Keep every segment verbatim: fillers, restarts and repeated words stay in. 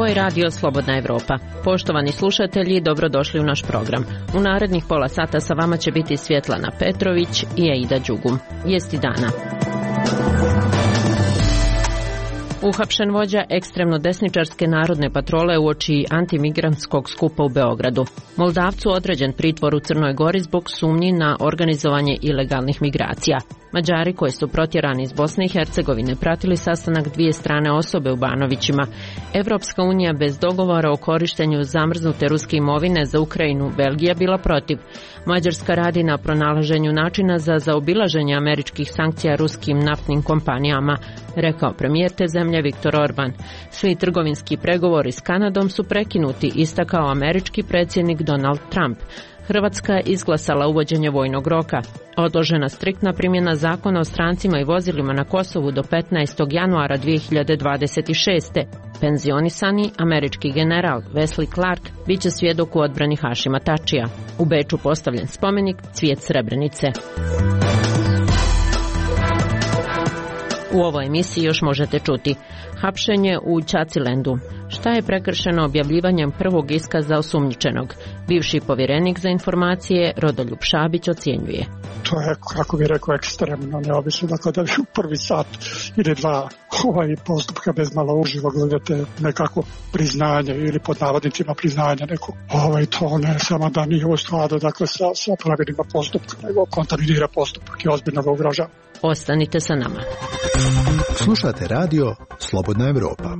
je Radio Slobodna Evropa. Poštovani slušatelji, dobrodošli u naš program. U narednih pola sata sa vama će biti Svjetlana Petrović i Aida Đugum. Vijesti dana. Uhapšen vođa ekstremno desničarske narodne patrole uoči antimigrantskog skupa u Beogradu. Moldavcu određen pritvor u Crnoj Gori zbog sumnji na organizovanje ilegalnih migracija. Mađari koji su protjerani iz Bosne i Hercegovine pratili sastanak dvije strane osobe u Banovićima. Evropska unija bez dogovora o korištenju zamrznute ruske imovine za Ukrajinu, Belgija bila protiv. Mađarska radi na pronalaženju načina za zaobilaženje američkih sankcija ruskim naftnim kompanijama, rekao premijer te zemlje Viktor Orban. Svi trgovinski pregovori s Kanadom su prekinuti, istakao američki predsjednik Donald Trump. Hrvatska je izglasala uvođenje vojnog roka. Odložena striktna primjena zakona o strancima i vozilima na Kosovu do petnaestog januara dvije hiljade dvadeset šeste. Penzionisani američki general Wesley Clark bit će svjedok u odbrani Hašima Tačija. U Beču postavljen spomenik Cvijet Srebrenice. U ovoj emisiji još možete čuti hapšenje u Ćacilendu. Šta je prekršeno objavljivanjem prvog iskaza osumnjičenog? Bivši povjerenik za informacije Rodoljub Šabić ocjenjuje. To je, kako bi rekao, ekstremno neobično. Dakle, da vi u prvi sat ili dva ovaj postupka bez malo uživo gledate nekako priznanje ili pod navodnicima priznanje neko. Ovaj, to ne samo da nije u skladu, dakle, sa, sa pravilima postupka, nego kontaminira postupak i ozbiljno ga ugrožava. Ostanite sa nama. Slušate radio Slobodna Evropa.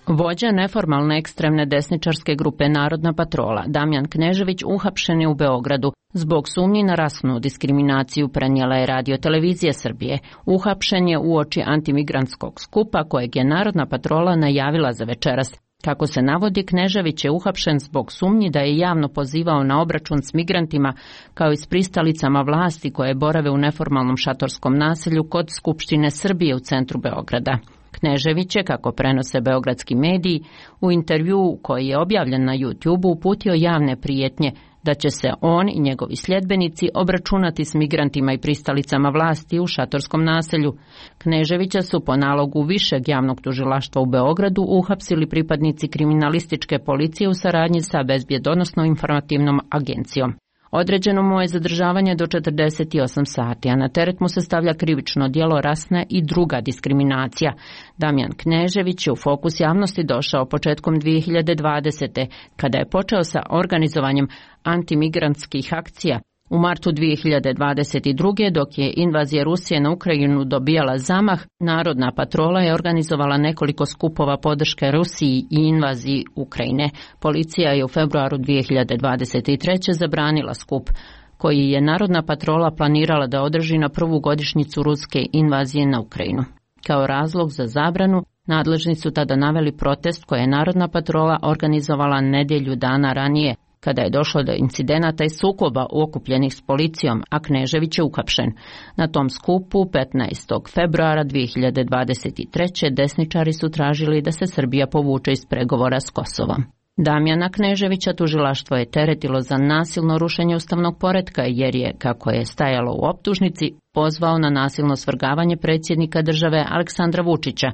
Vođa neformalne ekstremne desničarske grupe Narodna patrola Damjan Knežević uhapšen je u Beogradu. Zbog sumnji na rasnu diskriminaciju prenijela je Radio Televizija Srbije. Uhapšen je uoči antimigrantskog skupa kojeg je Narodna patrola najavila za večeras. Kako se navodi, Knežević je uhapšen zbog sumnji da je javno pozivao na obračun s migrantima kao i s pristalicama vlasti koje borave u neformalnom šatorskom naselju kod Skupštine Srbije u centru Beograda. Knežević je, kako prenose beogradski mediji, u intervjuu koji je objavljen na YouTube uputio javne prijetnje da će se on i njegovi sljedbenici obračunati s migrantima i pristalicama vlasti u šatorskom naselju. Kneževića su po nalogu višeg javnog tužilaštva u Beogradu uhapsili pripadnici kriminalističke policije u saradnji sa Bezbjedonosno-informativnom agencijom. Određeno mu je zadržavanje do četrdeset osam sati, a na teret mu se stavlja krivično djelo rasna i druga diskriminacija. Damjan Knežević je u fokus javnosti došao početkom dvije hiljade dvadesete. kada je počeo sa organizovanjem antimigrantskih akcija. U martu dvije hiljade dvadeset druge. dok je invazija Rusije na Ukrajinu dobijala zamah, Narodna patrola je organizovala nekoliko skupova podrške Rusiji i invaziji Ukrajine. Policija je u februaru dvije hiljade dvadeset treće. zabranila skup koji je Narodna patrola planirala da održi na prvu godišnjicu ruske invazije na Ukrajinu. Kao razlog za zabranu, nadležni su tada naveli protest koje je Narodna patrola organizovala nedjelju dana ranije, kada je došlo do incidenata i sukoba okupljenih s policijom, a Knežević je uhapšen. Na tom skupu petnaestog februara dvije hiljade dvadeset treće. desničari su tražili da se Srbija povuče iz pregovora s Kosovom. Damjana Kneževića tužilaštvo je teretilo za nasilno rušenje ustavnog poretka jer je, kako je stajalo u optužnici, pozvao na nasilno svrgavanje predsjednika države Aleksandra Vučića.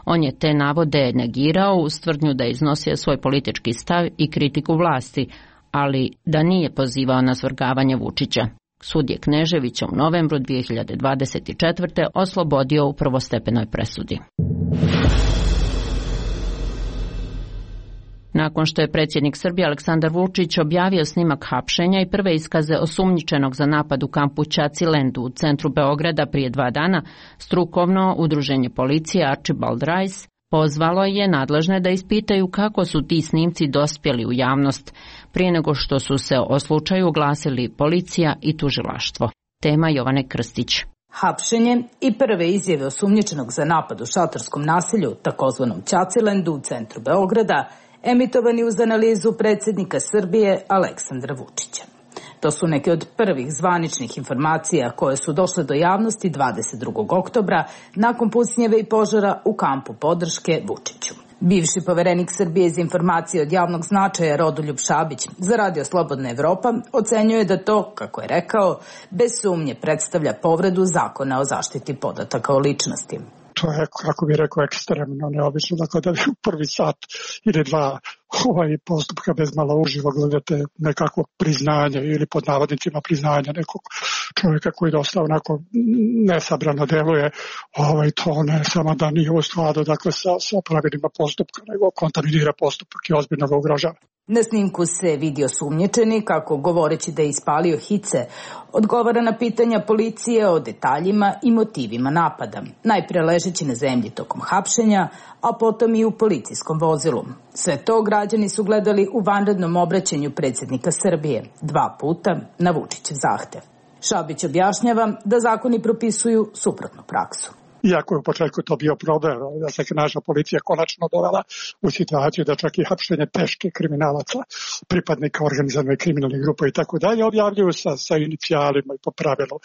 On je te navode negirao uz tvrdnju da je iznosio svoj politički stav i kritiku vlasti, ali da nije pozivao na svrgavanje Vučića. Sud je Kneževića u novembru dvije hiljade dvadeset četvrte. oslobodio u prvostepenoj presudi. Nakon što je predsjednik Srbije Aleksandar Vučić objavio snimak hapšenja i prve iskaze osumnjičenog za napad u kampu Ćacilendu u centru Beograda prije dva dana, strukovno udruženje policije Archibald Rice pozvalo je nadležne da ispitaju kako su ti snimci dospjeli u javnost prije nego što su se o slučaju oglasili policija i tužilaštvo. Tema Jovane Krstić. Hapšenje i prve izjave osumnjičenog za napad u šatorskom naselju, takozvanom Ćacilendu u centru Beograda, emitovani uz analizu predsjednika Srbije Aleksandra Vučića. To su neke od prvih zvaničnih informacija koje su došle do javnosti dvadeset drugog oktobra nakon pucnjeve i požara u kampu podrške Vučiću. Bivši poverenik Srbije za informacije od javnog značaja Rodoljub Šabić za Radio Slobodna Evropa ocenjuje da to, kako je rekao, bez sumnje predstavlja povredu zakona o zaštiti podataka o ličnosti. to je, kako bih rekao, ekstremno neobično. Dakle, da vi u prvi sat ili dva ovaj postupka bez malo uživo gledate nekako priznanje ili pod navodnicima priznanje nekog čovjeka koji dosta onako nesabrano deluje, ovaj, to ne samo da nije u skladu, dakle, sa, sa pravilima postupka, nego kontaminira postupak i ozbiljno ga ugrožava. Na snimku se vidi osumnjičeni kako, govoreći da je ispalio hice, odgovara na pitanja policije o detaljima i motivima napada. Najpre ležeći na zemlji tokom hapšenja, a potom i u policijskom vozilu. Sve to građani su gledali u vanrednom obraćanju predsjednika Srbije, dva puta na Vučićev zahtev. Šabić objašnjava da zakoni propisuju suprotnu praksu. Iako je u početku to bio problem, da se naša policija konačno dovela u situaciju da čak i hapšenje teške kriminalaca, pripadnika organizovane kriminalne grupe i tako dalje, objavljuju sa, sa inicijalima i po pravilu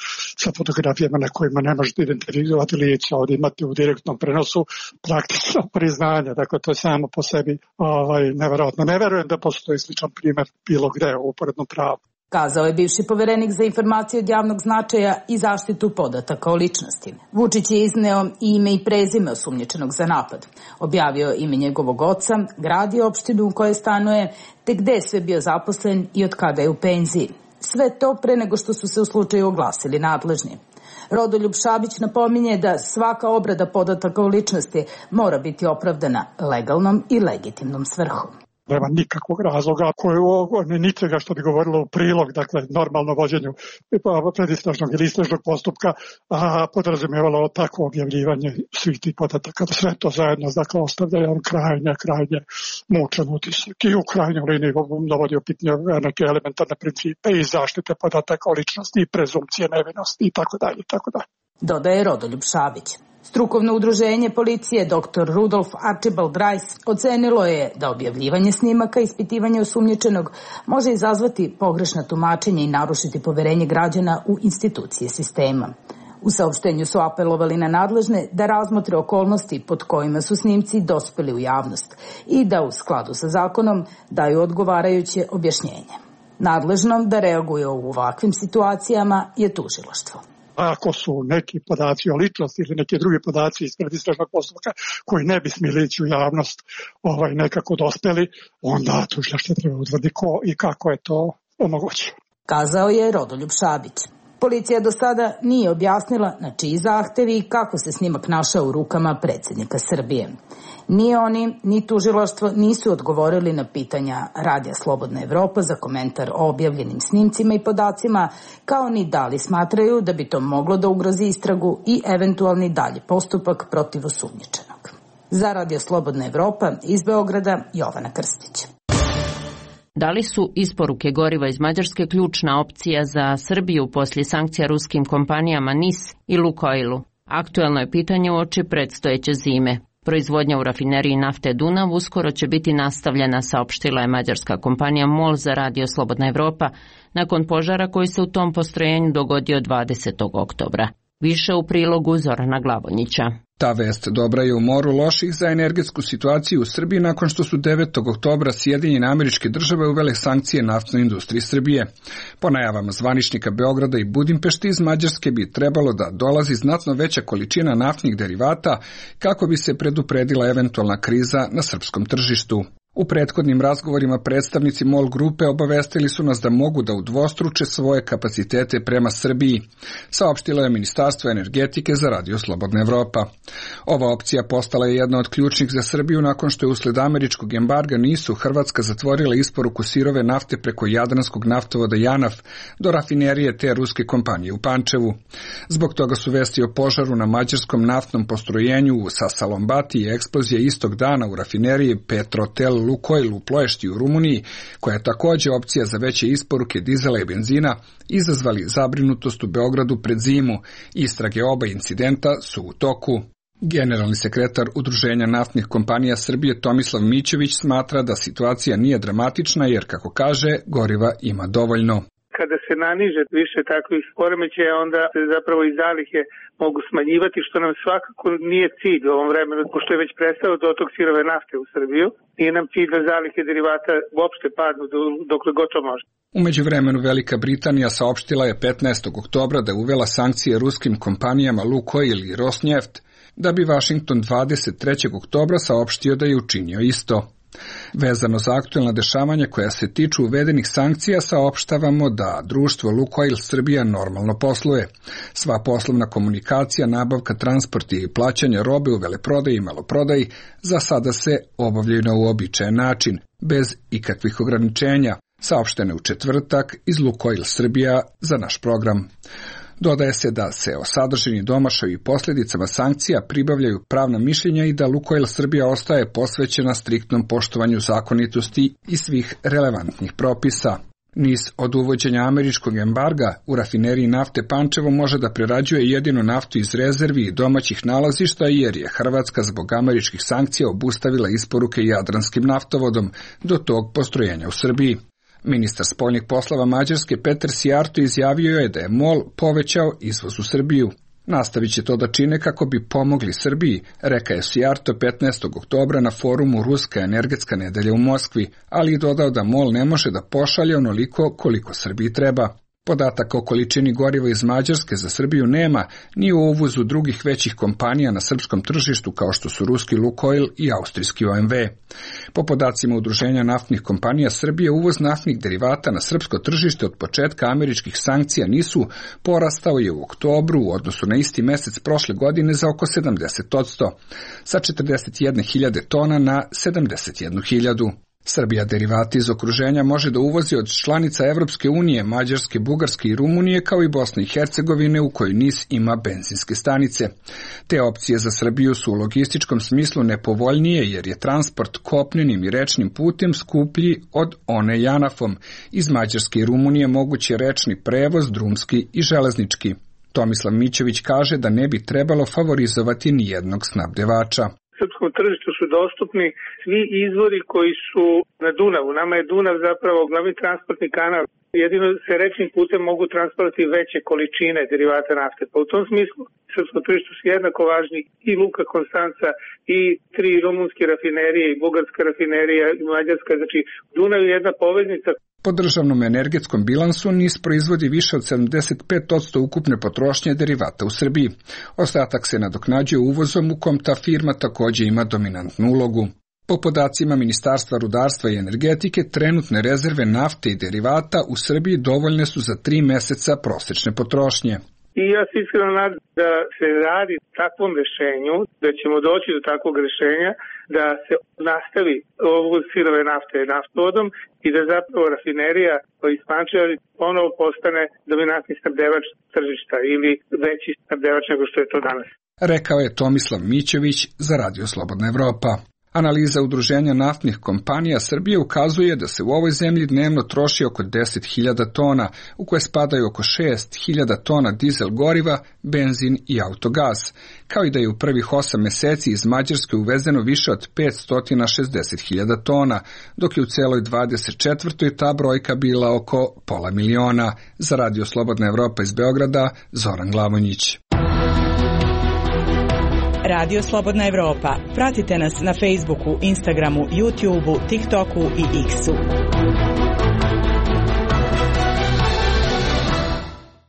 sa fotografijama na kojima ne možete identifikovati lica. Ovdje imate u direktnom prenosu praktično priznanje, dakle to je samo po sebi ovaj, neverovatno. Ne verujem da postoji sličan primjer bilo gde u uporednom pravu. Kazao je bivši poverenik za informacije od javnog značaja i zaštitu podataka o ličnosti. Vučić je izneo i ime i prezime osumnjičenog za napad. Objavio ime njegovog oca, grad i opštinu u kojoj stanuje, te gde je sve bio zaposlen i od kada je u penziji. Sve to pre nego što su se u slučaju oglasili nadležni. Rodoljub Šabić napominje da svaka obrada podataka o ličnosti mora biti opravdana legalnom i legitimnom svrhom. Nema nikakvog razloga koje je ničega što bi govorilo u prilog, dakle, normalno vođenju predistražnog ili istražnog postupka, a podrazumijevalo takvo objavljivanje svih tih podataka. Sve to zajedno, dakle, ostavlja jedan krajnje, krajnje mučan utisak i u krajnjoj liniji dovodi u pitanje neke elementarne principe i zaštite podataka o ličnosti i prezumcije nevinosti i tako dalje, i tako dalje. Dodaje Rodoljub Šabić. Strukovno udruženje policije doktor Rudolf Archibald Rice ocenilo je da objavljivanje snimaka i ispitivanje osumnjičenog može izazvati pogrešna tumačenja i narušiti poverenje građana u institucije sistema. U saopštenju su apelovali na nadležne da razmotre okolnosti pod kojima su snimci dospeli u javnost i da u skladu sa zakonom daju odgovarajuće objašnjenje. Nadležnom da reaguje u ovakvim situacijama je tužilaštvo. Ako su neki podaci o ličnosti ili neki drugi podaci iz predistražnog postupka koji ne bi smjeli ići u javnost ovaj, nekako dospeli, onda tužilaštvo treba utvrditi ko i kako je to omogućeno. Kazao je Rodoljub Šabić. Policija do sada nije objasnila na čiji zahtevi i kako se snimak našao u rukama predsjednika Srbije. Ni oni, ni tužilaštvo nisu odgovorili na pitanja Radija Slobodna Evropa za komentar o objavljenim snimcima i podacima, kao ni da li smatraju da bi to moglo da ugrozi istragu i eventualni dalji postupak protiv osumnjičenog. Za Radio Slobodna Evropa iz Beograda, Jovana Krstić. Da li su isporuke goriva iz Mađarske ključna opcija za Srbiju poslije sankcija ruskim kompanijama N I S i Lukoilu? Aktuelno je pitanje uoči predstojeće zime. Proizvodnja u rafineriji nafte Dunav uskoro će biti nastavljena, saopštila je mađarska kompanija MOL za Radio Slobodna Evropa, nakon požara koji se u tom postrojenju dogodio dvadesetog oktobra. Više u prilogu Zorana Glavonjića. Ta vest dobra je u moru loših za energetsku situaciju u Srbiji nakon što su devetog oktobra Sjedinjene Američke Države uvele sankcije naftnoj industriji Srbije. Po najavama zvaničnika Beograda i Budimpešti iz Mađarske bi trebalo da dolazi znatno veća količina naftnih derivata kako bi se predupredila eventualna kriza na srpskom tržištu. U prethodnim razgovorima predstavnici MOL grupe obavestili su nas da mogu da udvostruče svoje kapacitete prema Srbiji, saopštilo je Ministarstvo energetike za Radio Slobodna Evropa. Ova opcija postala je jedna od ključnih za Srbiju nakon što je usled američkog embarga nisu Hrvatska zatvorila isporuku sirove nafte preko jadranskog naftovoda JANAF do rafinerije te ruske kompanije u Pančevu. Zbog toga su vesti o požaru na mađarskom naftnom postrojenju u Sasalombati i eksplozija istog dana u rafineriji Petrotel Lukoil u Ploješti u Rumuniji, koja je također opcija za veće isporuke dizela i benzina, izazvali zabrinutost u Beogradu pred zimu. Istrage oba incidenta su u toku. Generalni sekretar Udruženja naftnih kompanija Srbije Tomislav Mićević smatra da situacija nije dramatična jer, kako kaže, goriva ima dovoljno. Kada se naniže više takvih poremećaja, onda se zapravo i zalihe mogu smanjivati, što nam svakako nije cilj u ovom vremenu, pošto je već prestao dotok sirove nafte u Srbiju. Nije nam cilj da zalihe derivata uopšte padnu dokle god to može. U međuvremenu Velika Britanija saopštila je petnaestog oktobra da je uvela sankcije ruskim kompanijama Lukoil i Rosneft da bi Vašington dvadeset trećeg oktobra saopštio da je učinio isto. Vezano za aktuelna dešavanja koja se tiču uvedenih sankcija, saopštavamo da društvo Lukoil Srbija normalno posluje. Sva poslovna komunikacija, nabavka, transport i plaćanje robe u veleprodaji i maloprodaji za sada se obavljaju na uobičajen način, bez ikakvih ograničenja, saopštene u četvrtak iz Lukoil Srbija za naš program. Dodaje se da se o sadržini, domašaju i posljedicama sankcija pribavljaju pravna mišljenja i da Lukoil Srbija ostaje posvećena striktnom poštovanju zakonitosti i svih relevantnih propisa. Niz od uvođenja američkog embarga u rafineriji nafte Pančevo može da prerađuje jedinu naftu iz rezervi i domaćih nalazišta jer je Hrvatska zbog američkih sankcija obustavila isporuke jadranskim naftovodom do tog postrojenja u Srbiji. Ministar spoljnih poslova Mađarske Peter Sijarto izjavio je da je MOL povećao izvoz u Srbiju. Nastavit će to da čine kako bi pomogli Srbiji, rekao je Sijarto petnaestog oktobra na forumu Ruska energetska nedelja u Moskvi, ali i dodao da MOL ne može da pošalje onoliko koliko Srbiji treba. Podataka o količini goriva iz Mađarske za Srbiju nema, ni o uvozu drugih većih kompanija na srpskom tržištu kao što su ruski Lukoil i austrijski O M V. Po podacima Udruženja naftnih kompanija Srbije, uvoz naftnih derivata na srpsko tržište od početka američkih sankcija nisu porastao je u oktobru u odnosu na isti mesec prošle godine za oko sedamdeset posto, sa četrdeset jedne hiljade tona na sedamdeset jednu hiljadu. Srbija derivati iz okruženja može da uvozi od članica Evropske unije, Mađarske, Bugarske i Rumunije, kao i Bosne i Hercegovine u kojoj NIS ima benzinske stanice. Te opcije za Srbiju su u logističkom smislu nepovoljnije jer je transport kopnenim i rečnim putem skuplji od one JANAF-om. Iz Mađarske i Rumunije moguće rečni prevoz, drumski i železnički. Tomislav Mićević kaže da ne bi trebalo favorizovati ni jednog snabdevača. Srpskom tržištu su dostupni svi izvori koji su na Dunavu. Nama je Dunav zapravo glavni transportni kanal. Jedino se rečnim putem mogu transportovati veće količine derivata nafte. Pa u tom smislu srpskom tržištu su jednako važni i Luka Konstanca i tri rumunske rafinerije i bugarska rafinerija i mađarska. Znači Dunav je jedna poveznica. Po državnom energetskom bilansu NIS proizvodi više od sedamdeset pet posto ukupne potrošnje derivata u Srbiji. Ostatak se nadoknađuje uvozom u kom ta firma također ima dominantnu ulogu. Po podacima Ministarstva rudarstva i energetike, trenutne rezerve nafte i derivata u Srbiji dovoljne su za tri meseca prosečne potrošnje. I ja se iskreno nadam da se radi takvom rešenju, da ćemo doći do takvog rešenja, da se nastavi uvoz sirove nafte naftovodom i da zapravo rafinerija iz Pančeva ponovo postane dominantni snabdevač tržišta ili veći snabdevač nego što je to danas. Rekao je Tomislav Mićević za Radio Slobodna Evropa. Analiza Udruženja naftnih kompanija Srbije ukazuje da se u ovoj zemlji dnevno troši oko deset hiljada tona, u koje spadaju oko šest hiljada tona dizel goriva, benzin i autogas, kao i da je u prvih osam meseci iz Mađarske uvezeno više od petsto šezdeset hiljada tona, dok je u celoj dvadeset četvrtoj ta brojka bila oko pola miliona. Za Radio Slobodna Evropa iz Beograda, Zoran Glavonjić. Radio Slobodna Evropa. Pratite nas na Facebooku, Instagramu, YouTubeu, TikToku i X-u.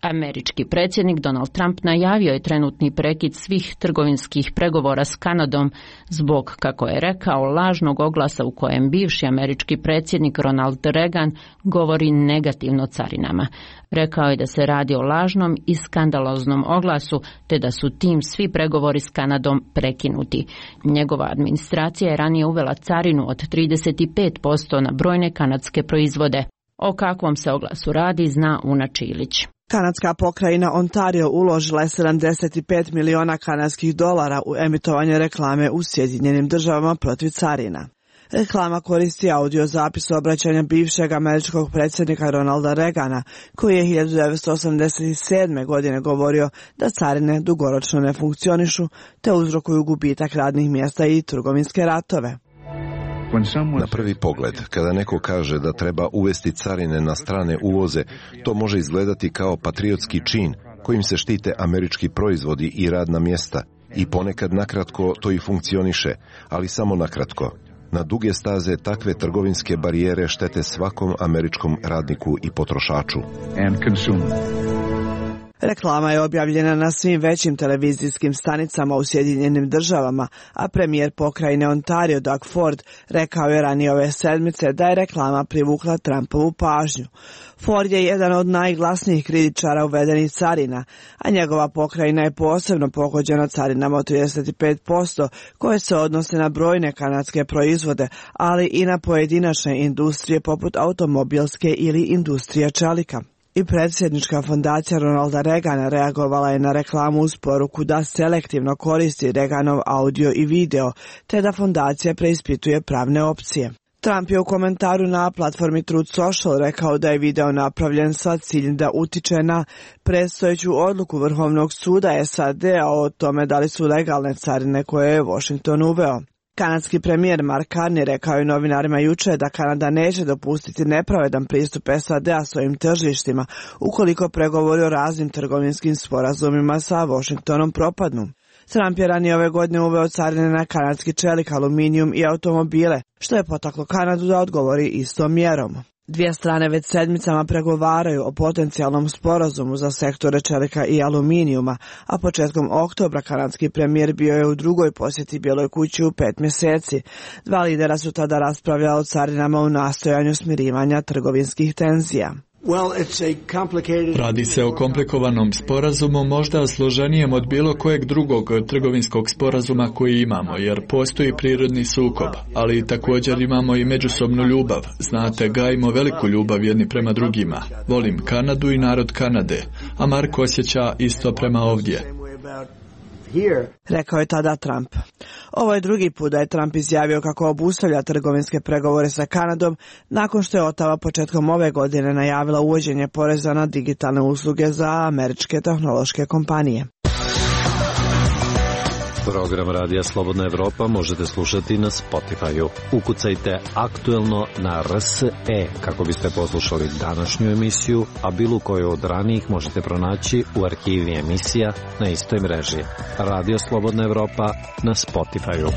Američki predsjednik Donald Trump najavio je trenutni prekid svih trgovinskih pregovora s Kanadom zbog, kako je rekao, lažnog oglasa u kojem bivši američki predsjednik Ronald Reagan govori negativno o carinama. Rekao je da se radi o lažnom i skandaloznom oglasu, te da su tim svi pregovori s Kanadom prekinuti. Njegova administracija je ranije uvela carinu od trideset pet posto na brojne kanadske proizvode. O kakvom se oglasu radi zna Una Čilić. Kanadska pokrajina Ontario uložila je sedamdeset pet miliona kanadskih dolara u emitovanje reklame u Sjedinjenim državama protiv carina. Reklama koristi audio zapis obraćanja bivšeg američkog predsjednika Ronalda Reagana, koji je hiljadu devetsto osamdeset sedme. godine govorio da carine dugoročno ne funkcionišu te uzrokuju gubitak radnih mjesta i trgovinske ratove. Na prvi pogled, kada neko kaže da treba uvesti carine na strane uvoze, to može izgledati kao patriotski čin kojim se štite američki proizvodi i radna mjesta i ponekad nakratko to i funkcioniše, ali samo nakratko. Na duge staze takve trgovinske barijere štete svakom američkom radniku i potrošaču. Reklama je objavljena na svim većim televizijskim stanicama u Sjedinjenim državama, a premijer pokrajine Ontario Doug Ford rekao je ranije ove sedmice da je reklama privukla Trumpovu pažnju. Ford je jedan od najglasnijih kritičara uvedenih carina, a njegova pokrajina je posebno pogođena carinama od trideset pet posto koje se odnose na brojne kanadske proizvode, ali i na pojedinačne industrije poput automobilske ili industrije čelika. I predsjednička fondacija Ronalda Reagana reagovala je na reklamu uz poruku da selektivno koristi Reaganov audio i video, te da fondacija preispituje pravne opcije. Trump je u komentaru na platformi Truth Social rekao da je video napravljen sa ciljem da utiče na predstojeću odluku Vrhovnog suda S A D-a o tome da li su legalne carine koje je Washington uveo. Kanadski premijer Mark Carney rekao je novinarima juče da Kanada neće dopustiti nepravedan pristup S A D-a svojim tržištima ukoliko pregovori o raznim trgovinskim sporazumima sa Washingtonom propadnu. Trump je ranije ove godine uveo carine na kanadski čelik, aluminijum i automobile, što je potaklo Kanadu da odgovori istom mjerom. Dvije strane već sedmicama pregovaraju o potencijalnom sporazumu za sektore čelika i aluminijuma, a početkom oktobra kanadski premijer bio je u drugoj posjeti Bijeloj kući u pet mjeseci. Dva lidera su tada raspravljali o carinama u nastojanju smirivanja trgovinskih tenzija. Radi se o komplikovanom sporazumu, možda složenijem od bilo kojeg drugog trgovinskog sporazuma koji imamo, jer postoji prirodni sukob, ali također imamo i međusobnu ljubav. Znate, gajimo veliku ljubav jedni prema drugima. Volim Kanadu i narod Kanade, a Mark osjeća isto prema ovdje. Rekao je tada Trump. Ovo je drugi put da je Trump izjavio kako obustavlja trgovinske pregovore sa Kanadom nakon što je Ottawa početkom ove godine najavila uvođenje poreza na digitalne usluge za američke tehnološke kompanije. Program Radija Slobodna Evropa možete slušati na Spotify-u. Ukucajte aktuelno na R S E kako biste poslušali današnju emisiju, a bilo koju od ranijih možete pronaći u arhivi emisija na istoj mreži. Radio Slobodna Evropa na Spotify-u.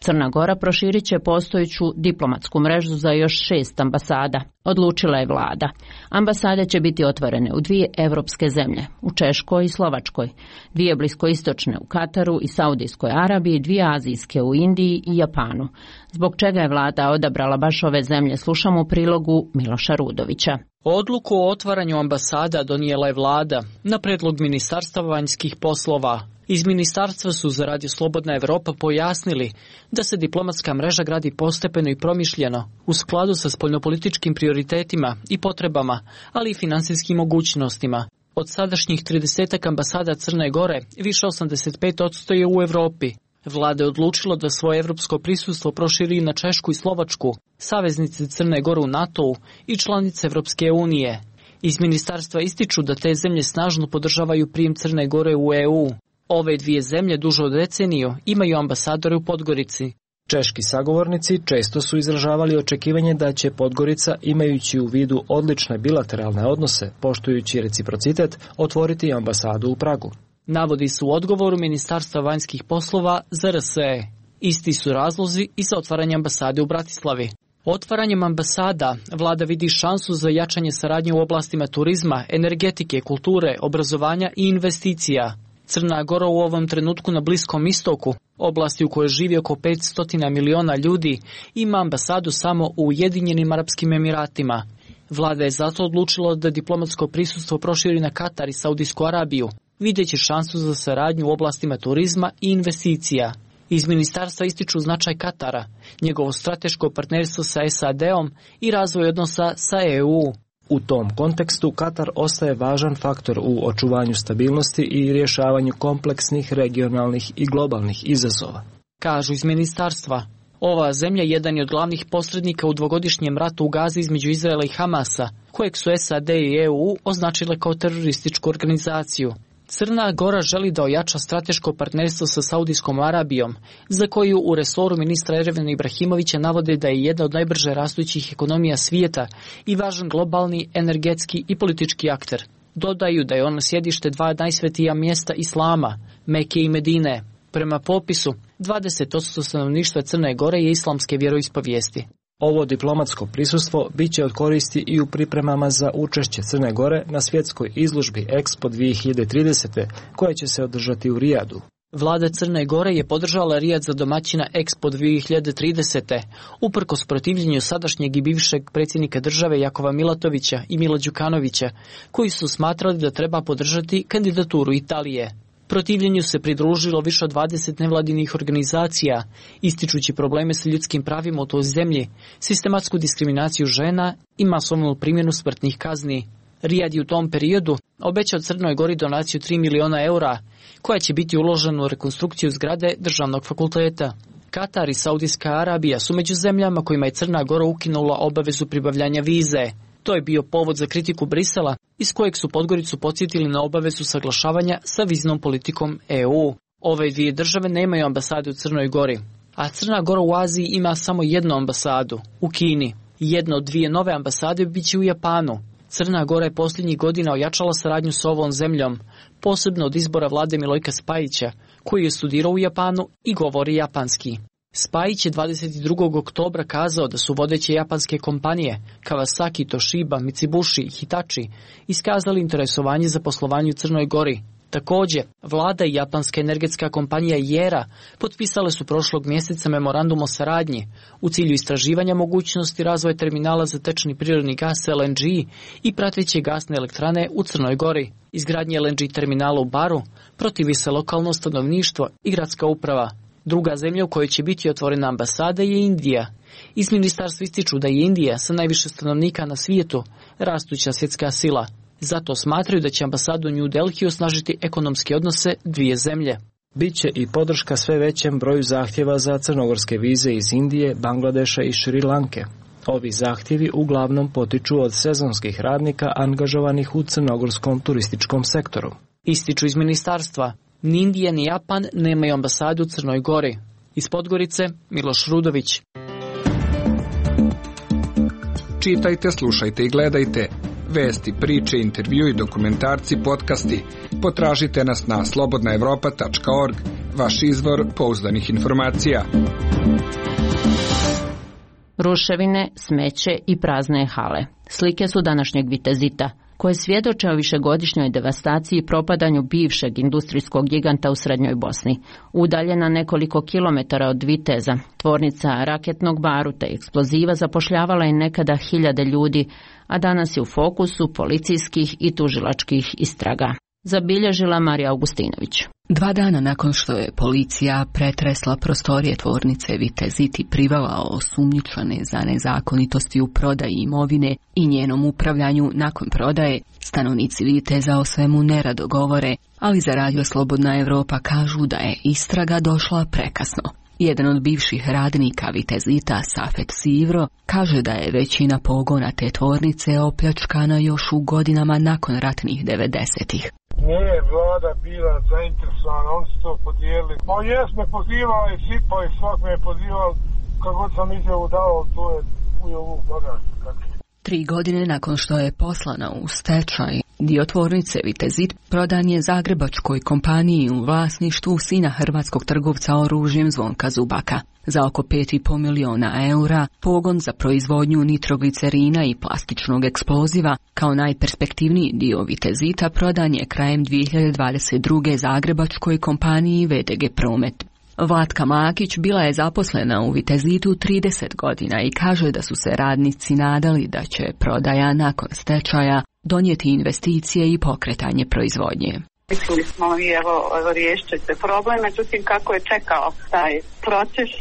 Crna Gora proširit će postojeću diplomatsku mrežu za još šest ambasada. Odlučila je vlada. Ambasade će biti otvorene u dvije evropske zemlje, u Češkoj i Slovačkoj, dvije bliskoistočne u Kataru i Saudijskoj Arabiji, dvije azijske u Indiji i Japanu. Zbog čega je vlada odabrala baš ove zemlje, slušamo u prilogu Miloša Rudovića. Odluku o otvaranju ambasada donijela je vlada na predlog Ministarstva vanjskih poslova. Iz ministarstva su za Radio Slobodna Evropa pojasnili da se diplomatska mreža gradi postepeno i promišljeno, u skladu sa spoljnopolitičkim prioritetima i potrebama, ali i finansijskim mogućnostima. Od sadašnjih trideset ambasada Crne Gore, više osamdeset pet posto je u Evropi. Vlada je odlučila da svoje evropsko prisustvo proširi na Češku i Slovačku, saveznice Crne Gore u NATO-u i članice Evropske unije. Iz ministarstva ističu da te zemlje snažno podržavaju prijem Crne Gore u E U. Ove dvije zemlje duže od deceniju imaju ambasadore u Podgorici. Češki sagovornici često su izražavali očekivanje da će Podgorica, imajući u vidu odlične bilateralne odnose, poštujući reciprocitet, otvoriti ambasadu u Pragu. Navodi su u odgovoru Ministarstva vanjskih poslova za R S E. Isti su razlozi i za otvaranje ambasade u Bratislavi. Otvaranjem ambasada vlada vidi šansu za jačanje saradnje u oblastima turizma, energetike, kulture, obrazovanja i investicija. Crna Gora u ovom trenutku na Bliskom istoku, oblasti u kojoj živi oko petsto miliona ljudi, ima ambasadu samo u Ujedinjenim Arapskim Emiratima. Vlada je zato odlučila da diplomatsko prisustvo proširi na Katar i Saudijsku Arabiju, videći šansu za saradnju u oblastima turizma i investicija. Iz ministarstva ističu značaj Katara, njegovo strateško partnerstvo sa S A D-om i razvoj odnosa sa E U. U tom kontekstu Katar ostaje važan faktor u očuvanju stabilnosti i rješavanju kompleksnih regionalnih i globalnih izazova. Kažu iz ministarstva, ova zemlja jedan je od glavnih posrednika u dvogodišnjem ratu u Gazi između Izraela i Hamasa, kojeg su S A D i E U označile kao terorističku organizaciju. Crna Gora želi da ojača strateško partnerstvo sa Saudijskom Arabijom, za koju u resoru ministra Erevena Ibrahimovića navode da je jedna od najbrže rastućih ekonomija svijeta i važan globalni, energetski i politički akter. Dodaju da je ono sjedište dva najsvetija mjesta Islama, Meke i Medine. Prema popisu, dvadeset posto stanovništva Crne Gore je islamske vjeroispovijesti. Ovo diplomatsko prisustvo biće od koristi i u pripremama za učešće Crne Gore na svjetskoj izložbi Expo dvije hiljade tridesete koja će se održati u Rijadu. Vlada Crne Gore je podržala Rijad za domaćina Expo dvije hiljade tridesete, uprkos protivljenju sadašnjeg i bivšeg predsjednika države Jakova Milatovića i Mila Đukanovića, koji su smatrali da treba podržati kandidaturu Italije. Protivljenju se pridružilo više od dvadeset nevladinih organizacija, ističući probleme sa ljudskim pravima u toj zemlji, sistematsku diskriminaciju žena i masovnu primjenu smrtnih kazni. Rijad je u tom periodu obećao Crnoj Gori donaciju tri miliona eura, koja će biti uložena u rekonstrukciju zgrade državnog fakulteta. Katar i Saudijska Arabija su među zemljama kojima je Crna Gora ukinula obavezu pribavljanja vize. To je bio povod za kritiku Brisela, iz kojeg su Podgoricu podsjetili na obavezu saglašavanja sa viznom politikom E U. Ove dvije države nemaju ambasade u Crnoj Gori, a Crna Gora u Aziji ima samo jednu ambasadu, u Kini. Jedna od dvije nove ambasade biće u Japanu. Crna Gora je posljednjih godina ojačala saradnju s ovom zemljom, posebno od izbora vlade Milojka Spajića, koji je studirao u Japanu i govori japanski. Spajić je dvadeset drugog oktobra kazao da su vodeće japanske kompanije Kawasaki, Toshiba, Mitsubishi i Hitachi iskazali interesovanje za poslovanje u Crnoj Gori. Također, vlada i japanska energetska kompanija Jera potpisale su prošlog mjeseca memorandum o saradnji u cilju istraživanja mogućnosti razvoja terminala za tečni prirodni gas L N G i prateće gasne elektrane u Crnoj Gori. Izgradnje L N G terminala u Baru protivi se lokalno stanovništvo i gradska uprava. Druga zemlja u kojoj će biti otvorena ambasada je Indija. Iz ministarstva ističu da je Indija sa najviše stanovnika na svijetu rastuća svjetska sila. Zato smatraju da će ambasadu u New Delhi osnažiti ekonomske odnose dvije zemlje. Biće i podrška sve većem broju zahtjeva za crnogorske vize iz Indije, Bangladeša i Šri Lanke. Ovi zahtjevi uglavnom potiču od sezonskih radnika angažovanih u crnogorskom turističkom sektoru. Ističu iz ministarstva. Ni Indija ni Japan nemaju ambasadu u Crnoj Gori. Iz Podgorice, Miloš Rudović. Čitajte, slušajte i gledajte. Vesti, priče, intervju i dokumentarci, podcasti. Potražite nas na slobodna evropa tačka org, vaš izvor pouzdanih informacija. Ruševine, smeće i prazne hale. Slike su današnjeg Vitezita, koje svjedoče o višegodišnjoj devastaciji i propadanju bivšeg industrijskog giganta u Srednjoj Bosni. Udaljena nekoliko kilometara od Viteza, tvornica raketnog baruta i eksploziva zapošljavala je nekada hiljade ljudi, a danas je u fokusu policijskih i tužilačkih istraga. Zabilježila Marija Augustinović. Dva dana nakon što je policija pretresla prostorije tvornice Vitezit i privela osumnjičene za nezakonitosti u prodaji imovine i njenom upravljanju nakon prodaje, stanovnici Viteza o svemu nerado govore, ali za Radio Slobodna Evropa kažu da je istraga došla prekasno. Jedan od bivših radnika Vitezita, Safet Sivro, kaže da je većina pogona te tvornice opljačkana još u godinama nakon ratnih devedesetih. Nije vlada bila zainteresovana, oni su to podijelili. Pa jes me pozivao i sipao i svak me je pozivao, kako sam izjavu dao, to je u ovu bagatu. Tri godine nakon što je poslana u stečaj, dio tvornice Vitezit prodan je zagrebačkoj kompaniji u vlasništvu sina hrvatskog trgovca oružjem Zvonka Zubaka. Za oko pet i pol miliona eura, pogon za proizvodnju nitroglicerina i plastičnog eksploziva, kao najperspektivniji dio Vitezita, prodan je krajem dvije hiljade dvadeset druge zagrebačkoj kompaniji V D G Promet. Vlatka Makić bila je zaposlena u Vitezitu trideset godina i kaže da su se radnici nadali da će prodaja nakon stečaja donijeti investicije i pokretanje proizvodnje. Mislili smo i evo, evo riješit će problem, međutim kako je čekao taj proces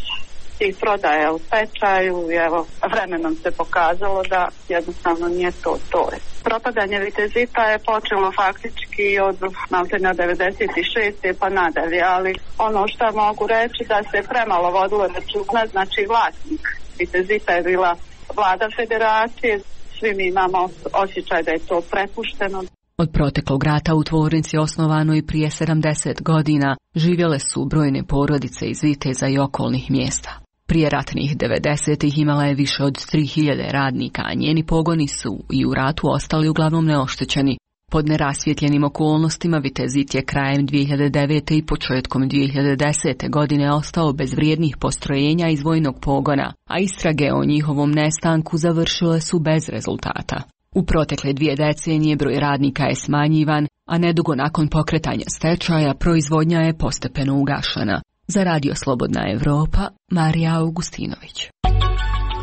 i prodaja u stečaju i evo vremenom se pokazalo da jednostavno nije to to. Propadanje Vitezita je počelo faktički od maltene devedeset šeste pa nadalje, ali ono što mogu reći da se premalo vodilo računa, znači vlasnik Vitezita je bila vlada federacije, svi mi imamo osjećaj da je to prepušteno. Od proteklog rata u tvornici osnovano i prije sedamdeset godina živjele su brojne porodice iz Viteza i okolnih mjesta. Prije ratnih devedesetih imala je više od tri hiljade radnika, a njeni pogoni su i u ratu ostali uglavnom neoštećeni. Pod nerasvjetljenim okolnostima Vitezit je krajem dvije hiljade devete. i početkom dvije hiljade desete. godine ostao bez vrijednih postrojenja iz vojnog pogona, a istrage o njihovom nestanku završile su bez rezultata. U protekle dvije decenije broj radnika je smanjivan, a nedugo nakon pokretanja stečaja proizvodnja je postepeno ugašena. Za Radio Slobodna Evropa, Marija Augustinović.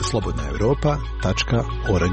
slobodna evropa tačka org.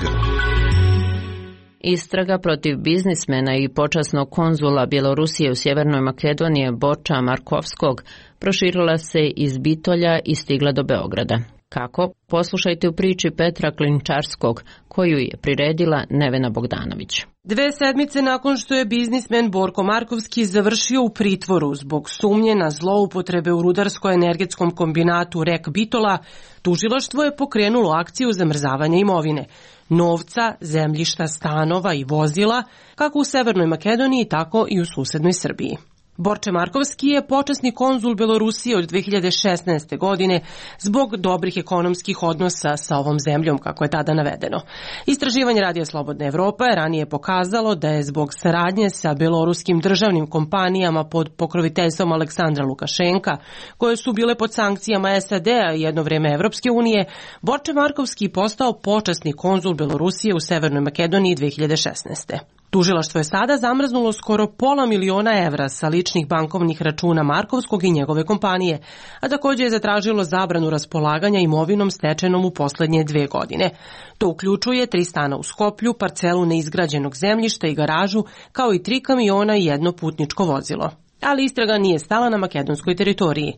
Istraga protiv biznismena i počasnog konzula Bjelorusije u Sjevernoj Makedoniji Borča Markovskog proširila se iz Bitolja i stigla do Beograda. Kako? Poslušajte u priči Petra Klinčarskog, koju je priredila Nevena Bogdanović. Dve sedmice nakon što je biznismen Borko Markovski završio u pritvoru zbog sumnje na zloupotrebe u rudarsko-energetskom kombinatu Rek Bitola, tužilaštvo je pokrenulo akciju zamrzavanja imovine, novca, zemljišta, stanova i vozila, kako u Severnoj Makedoniji, tako i u susednoj Srbiji. Borče Markovski je počasni konzul Belorusije od dve hiljade šesnaeste. godine zbog dobrih ekonomskih odnosa sa ovom zemljom, kako je tada navedeno. Istraživanje Radija Slobodna Evropa je ranije pokazalo da je zbog saradnje sa beloruskim državnim kompanijama pod pokroviteljstvom Aleksandra Lukašenka, koje su bile pod sankcijama S A D-a i jedno vreme Evropske unije, Borče Markovski postao počasni konzul Belorusije u Severnoj Makedoniji dve hiljade šesnaeste. Tužilaštvo je sada zamrznulo skoro pola miliona evra sa ličnih bankovnih računa Markovskog i njegove kompanije, a također je zatražilo zabranu raspolaganja imovinom stečenom u poslednje dve godine. To uključuje tri stana u Skoplju, parcelu neizgrađenog zemljišta i garažu, kao i tri kamiona i jedno putničko vozilo. Ali istraga nije stala na makedonskoj teritoriji.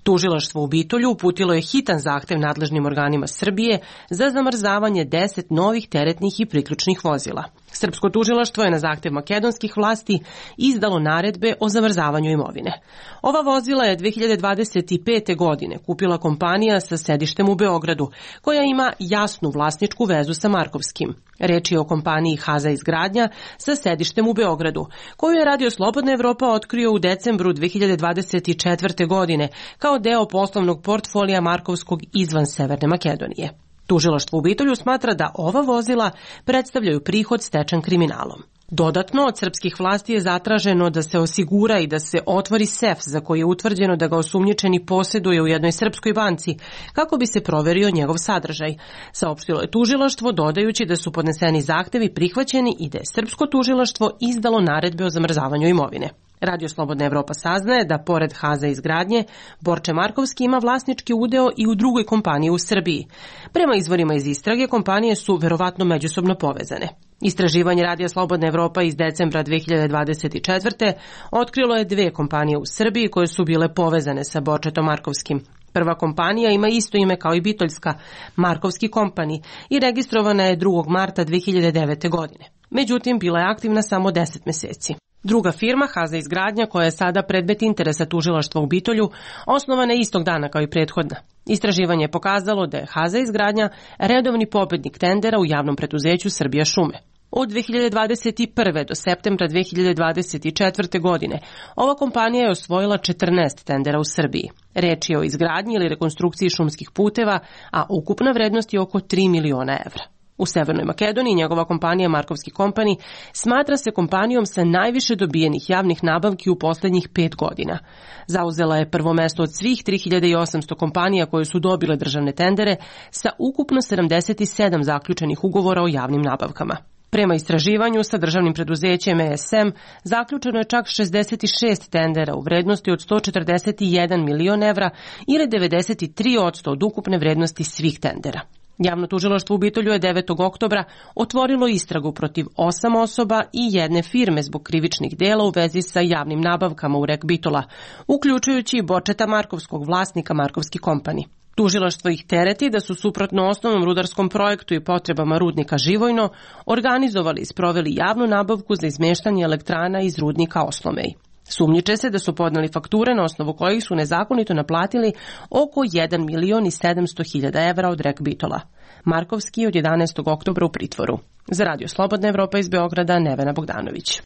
Tužilaštvo u Bitolju uputilo je hitan zahtev nadležnim organima Srbije za zamrzavanje deset novih teretnih i priključnih vozila. Srpsko tužilaštvo je na zahtev makedonskih vlasti izdalo naredbe o zamrzavanju imovine. Ova vozila je dve hiljade dvadeset pete. godine kupila kompanija sa sedištem u Beogradu, koja ima jasnu vlasničku vezu sa Markovskim. Reč je o kompaniji Haza Izgradnja sa sedištem u Beogradu, koju je Radio Slobodna Evropa otkrio u decembru dve hiljade dvadeset četvrte. godine kao deo poslovnog portfolija Markovskog izvan Severne Makedonije. Tužilaštvo u Bitolju smatra da ova vozila predstavljaju prihod stečen kriminalom. Dodatno, od srpskih vlasti je zatraženo da se osigura i da se otvori sef za koji je utvrđeno da ga osumnjičeni posjeduje u jednoj srpskoj banci, kako bi se proverio njegov sadržaj. Saopštilo je tužilaštvo, dodajući da su podneseni zahtevi prihvaćeni i da je srpsko tužilaštvo izdalo naredbe o zamrzavanju imovine. Radio Slobodna Evropa saznaje da pored Haza Izgradnje, Borče Markovski ima vlasnički udeo i u drugoj kompaniji u Srbiji. Prema izvorima iz istrage, kompanije su verovatno međusobno povezane. Istraživanje Radija Slobodna Evropa iz decembra dve hiljade dvadeset četvrte. otkrilo je dve kompanije u Srbiji koje su bile povezane sa Borčetom Markovskim. Prva kompanija ima isto ime kao i Bitoljska, Markovski kompani, i registrovana je drugog marta dve hiljade devete. godine. Međutim, bila je aktivna samo deset meseci. Druga firma, Haza Izgradnja, koja je sada predmet interesa tužilaštva u Bitolju, osnovana je istog dana kao i prethodna. Istraživanje je pokazalo da je Haza Izgradnja redovni pobednik tendera u javnom preduzeću Srbija šume. Od dve hiljade dvadeset prve. do septembra dve hiljade dvadeset četvrte. godine ova kompanija je osvojila četrnaest tendera u Srbiji. Reč je o izgradnji ili rekonstrukciji šumskih puteva, a ukupna vrednost je oko tri miliona evra. U Severnoj Makedoniji njegova kompanija Markovski kompani smatra se kompanijom sa najviše dobijenih javnih nabavki u poslednjih pet godina. Zauzela je prvo mesto od svih tri hiljade osamsto kompanija koje su dobile državne tendere sa ukupno sedamdeset sedam zaključenih ugovora o javnim nabavkama. Prema istraživanju sa državnim preduzećem E S M zaključeno je čak šezdeset šest tendera u vrednosti od sto četrdeset jedan milion evra ili devedeset tri posto od ukupne vrednosti svih tendera. Javno tužilaštvo u Bitolju je devetog oktobra otvorilo istragu protiv osam osoba i jedne firme zbog krivičnih dela u vezi sa javnim nabavkama u Rek Bitola, uključujući i Borčeta Markovskog, vlasnika Markovski kompani. Tužilaštvo ih tereti da su suprotno osnovnom rudarskom projektu i potrebama rudnika Živojno organizovali i sproveli javnu nabavku za izmeštanje elektrana iz rudnika Oslomej. Sumnjiče se da su podneli fakture na osnovu kojih su nezakonito naplatili oko jedan milion i sedamsto hiljada evra od Rek Bitola. Markovski je od jedanaestog oktobra u pritvoru. Za Radio Slobodna Evropa iz Beograda, Nevena Bogdanović.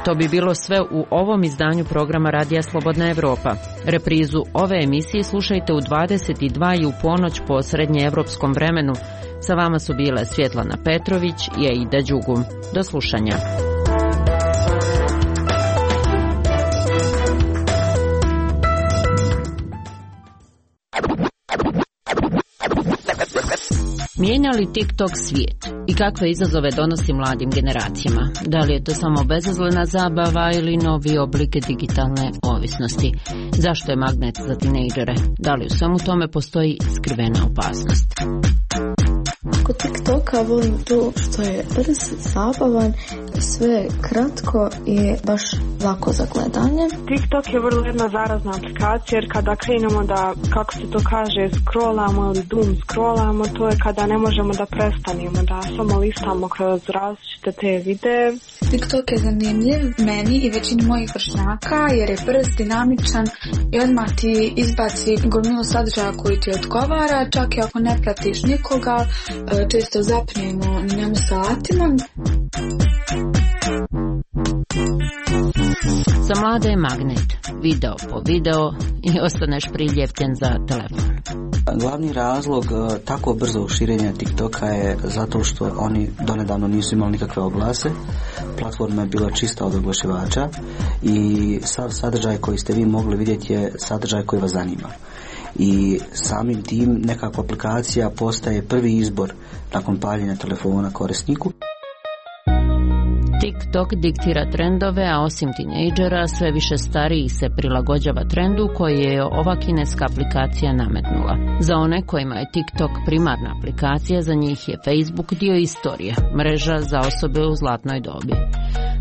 To bi bilo sve u ovom izdanju programa Radija Slobodna Evropa. Reprizu ove emisije slušajte u dvadeset dva i u ponoć po srednjeevropskom vremenu. Sa vama su bile Svjetlana Petrović i Aida Đugum. Do slušanja. Mijenja li TikTok svijet i kakve izazove donosi mladim generacijama? Da li je to samo bezazlena zabava ili novi oblik digitalne ovisnosti? Zašto je magnet za tinejdžere? Da li u svemu tome postoji skrivena opasnost? Kod TikToka volim to što je brz, zabavan, sve kratko i baš lako za gledanje. TikTok je vrlo jedna zarazna aplikacija jer kada krenemo da, kako se to kaže, scrollamo ili doom scrollamo, to je kada ne možemo da prestanemo, da samo listamo kroz različite te videe. TikTok je zanimljiv meni i većini mojih vršnjaka jer je brz, dinamičan i odmah ti izbaci gomilu sadržaja koji ti odgovara, čak i ako ne pratiš nikoga, često zapnemo na njemu satima. Za mlade je magnet, video po video i ostaneš priljepten za telefon. Glavni razlog tako brzo širenja TikToka je zato što oni donedavno nisu imali nikakve oglase. Platforma je bila čista od oglašivača i sav sadržaj koji ste vi mogli vidjeti je sadržaj koji vas zanima. I samim tim nekako aplikacija postaje prvi izbor nakon paljenja telefona korisniku. TikTok diktira trendove, a osim tinejdžera sve više stariji se prilagođava trendu koji je ova kineska aplikacija nametnula. Za one kojima je TikTok primarna aplikacija, za njih je Facebook dio istorije, mreža za osobe u zlatnoj dobi.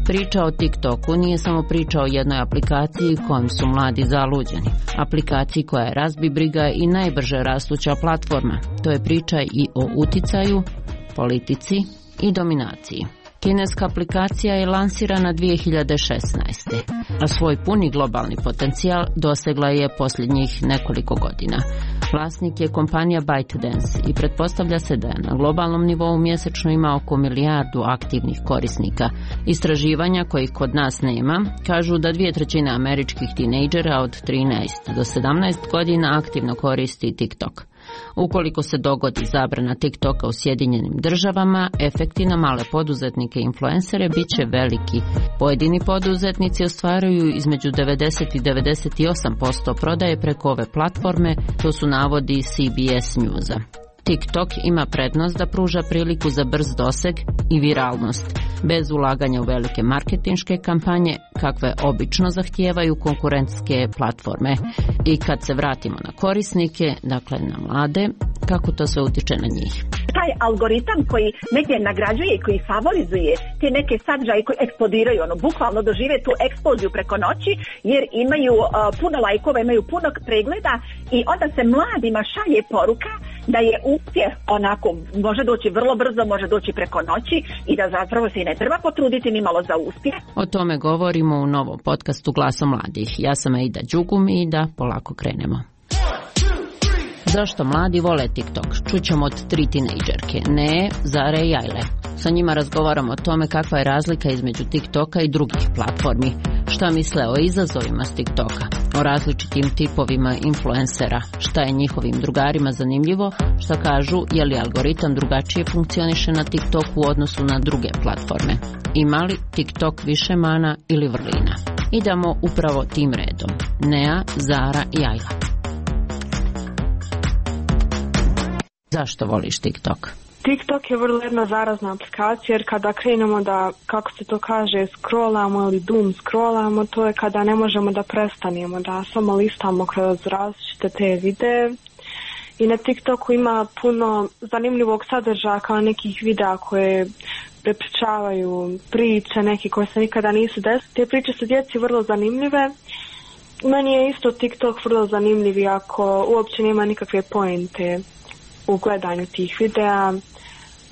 Priča o TikToku nije samo priča o jednoj aplikaciji kojom su mladi zaluđeni. Aplikaciji koja je razbibriga i najbrže rastuća platforma. To je priča i o uticaju, politici i dominaciji. Kineska aplikacija je lansirana dvije hiljade šesnaeste. a svoj puni globalni potencijal dosegla je posljednjih nekoliko godina. Vlasnik je kompanija ByteDance i pretpostavlja se da je na globalnom nivou mjesečno ima oko milijardu aktivnih korisnika. Istraživanja kojih kod nas nema kažu da dvije trećine američkih tinejdžera od trinaest do sedamnaest godina aktivno koristi TikTok. Ukoliko se dogodi zabrana TikToka u Sjedinjenim državama, efekti na male poduzetnike i influencere bit će veliki. Pojedini poduzetnici ostvaruju između devedeset i devedeset osam posto prodaje preko ove platforme, to su navodi C B S Newsa. TikTok ima prednost da pruža priliku za brz doseg i viralnost, bez ulaganja u velike marketinške kampanje, kakve obično zahtijevaju konkurentske platforme. I kad se vratimo na korisnike, dakle na mlade, kako to sve utiče na njih? Taj algoritam koji negdje nagrađuje i koji favorizuje te neke sadržaje koji eksplodiraju, ono, bukvalno dožive tu eksploziju preko noći, jer imaju uh, puno lajkova, imaju puno pregleda i onda se mladima šalje poruka da je uspjeh onako, može doći vrlo brzo, može doći preko noći i da zapravo se i ne treba potruditi ni malo za uspjeh. O tome govorimo u novom podcastu Glasom mladih. Ja sam Aida Đugum i da polako krenemo. Zašto mladi vole TikTok? Čućemo od tri tinejdžerke, Ne, Zare i Ajle. Sa njima razgovaramo o tome kakva je razlika između TikToka i drugih platformi, šta misle o izazovima s TikToka, o različitim tipovima influencera, šta je njihovim drugarima zanimljivo, šta kažu je li algoritam drugačije funkcioniše na TikToku u odnosu na druge platforme. Ima li TikTok više mana ili vrlina? Idemo upravo tim redom. Nea, Zara i Ajla. Zašto voliš TikTok? TikTok je vrlo jedna zarazna aplikacija jer kada krenemo da, kako se to kaže, scrollamo ili doom scrollamo, to je kada ne možemo da prestanemo, da samo listamo kroz različite te videe. I na TikToku ima puno zanimljivog sadržaja kao nekih videa koje prepričavaju priče, neke koje se nikada nisu desile. Te priče su djeci vrlo zanimljive. Meni je isto TikTok vrlo zanimljiv ako uopće nema nikakve pointe u gledanju tih videa,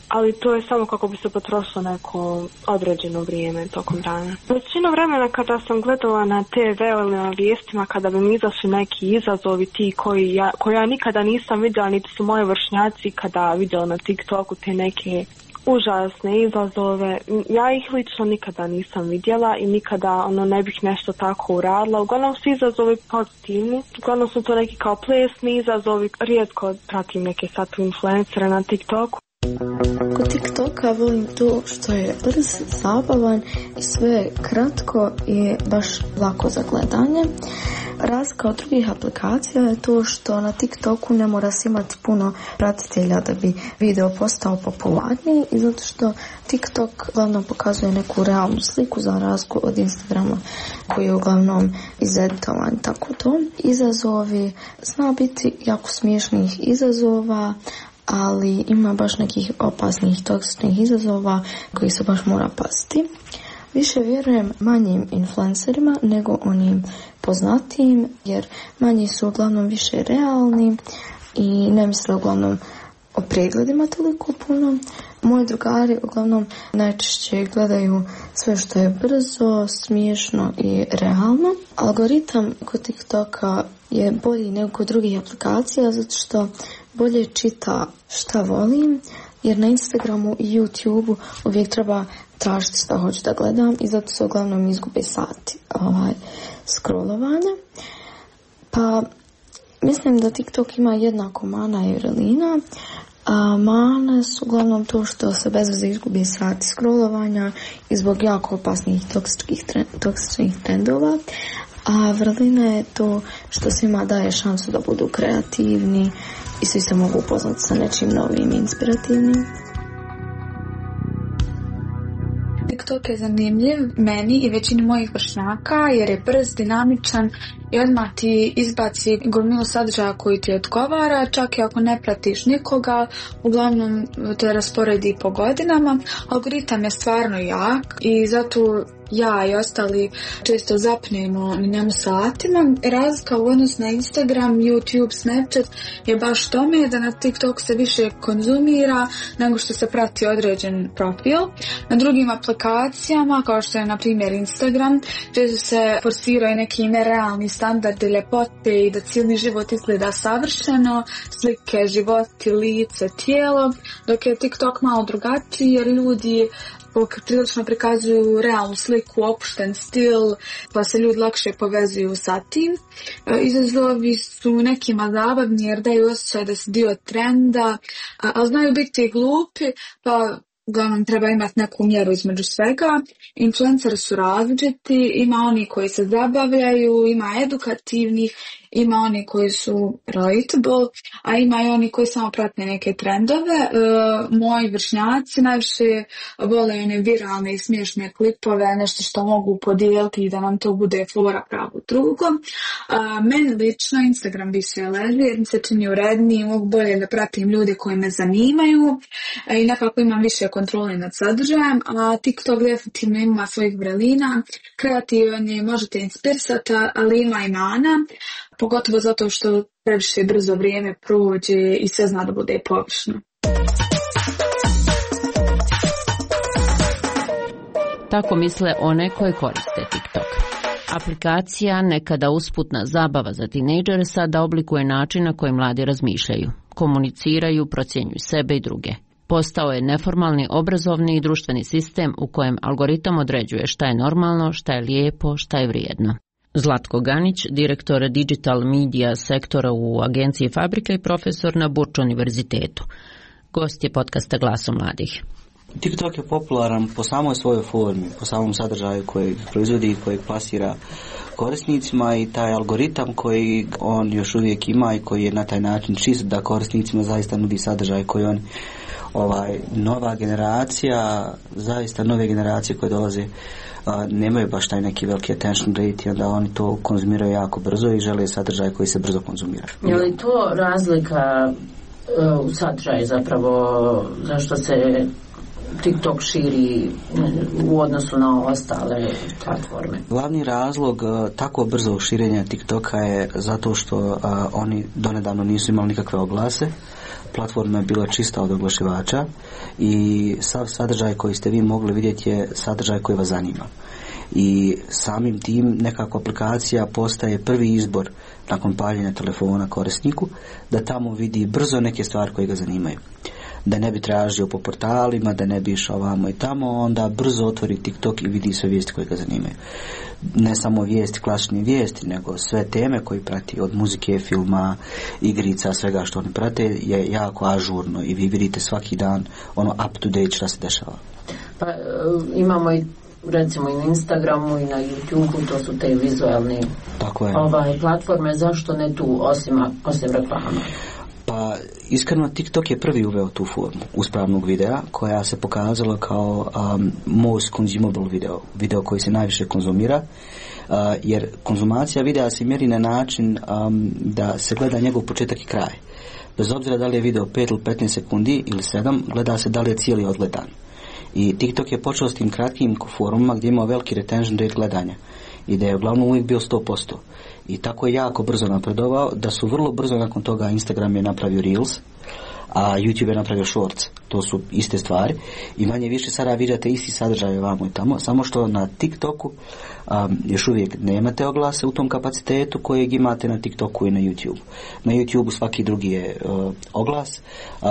ali to je samo kako bi se potrošilo neko određeno vrijeme tokom dana. Većinu vremena kada sam gledala na te ve ili na vijestima, kada bi mi izašli neki izazovi ti koji ja, koji ja nikada nisam vidjela, niti su moji vršnjaci kada vidjela na TikToku te neke užasne izazove. Ja ih lično nikada nisam vidjela i nikada ono ne bih nešto tako uradila. Uglavnom su izazovi pozitivni. Uglavnom su to neki kao plesni izazovi. Rijetko pratim neke sad influencere na TikToku. Kod TikToka volim to što je brz, zabavan i sve kratko i baš lako za gledanje. Razlika od drugih aplikacija je to što na TikToku ne mora se imati puno pratitelja da bi video postao popularniji i zato što TikTok uglavnom pokazuje neku realnu sliku za razliku od Instagrama koji je uglavnom izeditovan. Tako to. Izazovi zna biti jako smiješnih izazova, ali ima baš nekih opasnih, toksičnih izazova koji se baš mora paziti. Više vjerujem manjim influencerima nego onim poznatijim, jer manji su uglavnom više realni i ne misle uglavnom o pregledima toliko puno. Moji drugari uglavnom najčešće gledaju sve što je brzo, smiješno i realno. Algoritam kod TikToka je bolji nego kod drugih aplikacija zato što bolje čita šta volim, jer na Instagramu i YouTubeu uvijek treba tražiti šta hoću da gledam i zato se uglavnom izgube sati ovaj, scrollovanja. Pa mislim da TikTok ima jednako mana i vrelina. A mane su uglavnom to što se bez veze izgubi sati scrollovanja i zbog jako opasnih toksičnih, trend, toksičnih trendova. A vrlina je to što svima daje šansu da budu kreativni i svi se mogu upoznati sa nečim novim i inspirativnim. TikTok je zanimljiv meni i većini mojih vršnjaka jer je brz, dinamičan i odmah ti izbaci gomilu sadržaja koji ti odgovara, čak i ako ne pratiš nikoga, uglavnom te rasporedi po godinama. Algoritam je stvarno jak i zato ja i ostali često zapnemo na njemu satima. Razlika u odnosu na Instagram, YouTube, Snapchat je baš tome da na TikTok se više konzumira nego što se prati određen profil. Na drugim aplikacijama, kao što je na primjer Instagram, često se forsiraju neki nerealni standardi ljepote i da cijeli život izgleda savršeno, slike, životi, lice, tijelo, dok je TikTok malo drugačiji jer ljudi prilično prikazuju realnu sliku, opušten stil, pa se ljudi lakše povezuju sa tim. Izazovi su nekima zabavni jer daju osjećaj da se dio trenda, ali znaju biti glupi, pa uglavnom treba imati neku mjeru između svega. Influenceri su različiti, ima oni koji se zabavljaju, ima edukativnih, ima oni koji su relatable, a ima i oni koji samo prate neke trendove. E, moji vršnjaci najviše vole one viralne i smiješne klipove, nešto što mogu podijeliti i da nam to bude fora pravo drugom. E, meni lično Instagram više leži jer mi se čini uredniji, mogu bolje da pratim ljude koji me zanimaju e, i nekako imam više kontrole nad sadržajem, a TikTok definitivno ima svojih vrelina, kreativan je, možete inspirisati, ali ima i mana, pogotovo zato što previše brzo vrijeme prođe i sve zna da bude površno. Tako misle one koje koriste TikTok. Aplikacija, nekada usputna zabava za tinejdžere, sada oblikuje način na koji mladi razmišljaju, komuniciraju, procjenjuju sebe i druge. Postao je neformalni obrazovni i društveni sistem u kojem algoritam određuje šta je normalno, šta je lijepo, šta je vrijedno. Zlatko Ganić, direktor digital media sektora u agenciji Fabrika i profesor na Burč univerzitetu. Gost je podcasta Glasom mladih. TikTok je popularan po samoj svojoj formi, po samom sadržaju kojeg proizvodi i kojeg plasira korisnicima i taj algoritam koji on još uvijek ima i koji je na taj način čist da korisnicima zaista nudi sadržaj koji on ovaj nova generacija, zaista nove generacije koje dolaze a, nemaju baš taj neki veliki attention rate i onda oni to konzumiraju jako brzo i žele sadržaj koji se brzo konzumira. Je li to razlika uh, u sadržaju zapravo zašto se TikTok širi u odnosu na ostale platforme? Glavni razlog uh, tako brzog širenja TikToka je zato što uh, oni donedavno nisu imali nikakve oglase. Platforma je bila čista od oglašivača i sav sadržaj koji ste vi mogli vidjeti je sadržaj koji vas zanima. I samim tim nekako aplikacija postaje prvi izbor nakon paljenja telefona korisniku da tamo vidi brzo neke stvari koje ga zanimaju. da ne bi tražio po portalima, da ne bi išao ovamo i tamo, onda brzo otvori TikTok i vidi sve vijesti koje ga zanimaju. Ne samo vijesti, klasične vijesti, nego sve teme koje prati, od muzike, filma, igrica, svega što oni prate je jako ažurno i vi vidite svaki dan ono up to date šta se dešava. Pa imamo i recimo i na Instagramu i na YouTubeu, to su te vizualne ovaj, platforme, zašto ne tu osim, osim reklama? Pa iskreno TikTok je prvi uveo tu formu uspravnog videa koja se pokazala kao um, most consumable video, video koji se najviše konzumira, uh, jer konzumacija videa se mjeri na način um, da se gleda njegov početak i kraj. Bez obzira da li je video pet ili petnaest sekundi ili sedam, gleda se da li je cijeli odgledan. I TikTok je počeo s tim kratkim forumima gdje imao veliki retention rate gledanja i da je uglavnom uvijek bio sto posto. I tako je jako brzo napredovao da su vrlo brzo nakon toga Instagram je napravio Reels, a YouTube je napravio Shorts. To su iste stvari i manje više sada vidite isti sadržaj ovamo i tamo, samo što na TikToku um, još uvijek nemate oglase u tom kapacitetu kojeg imate na TikToku i na YouTube. Na YouTube svaki drugi je uh, oglas, uh,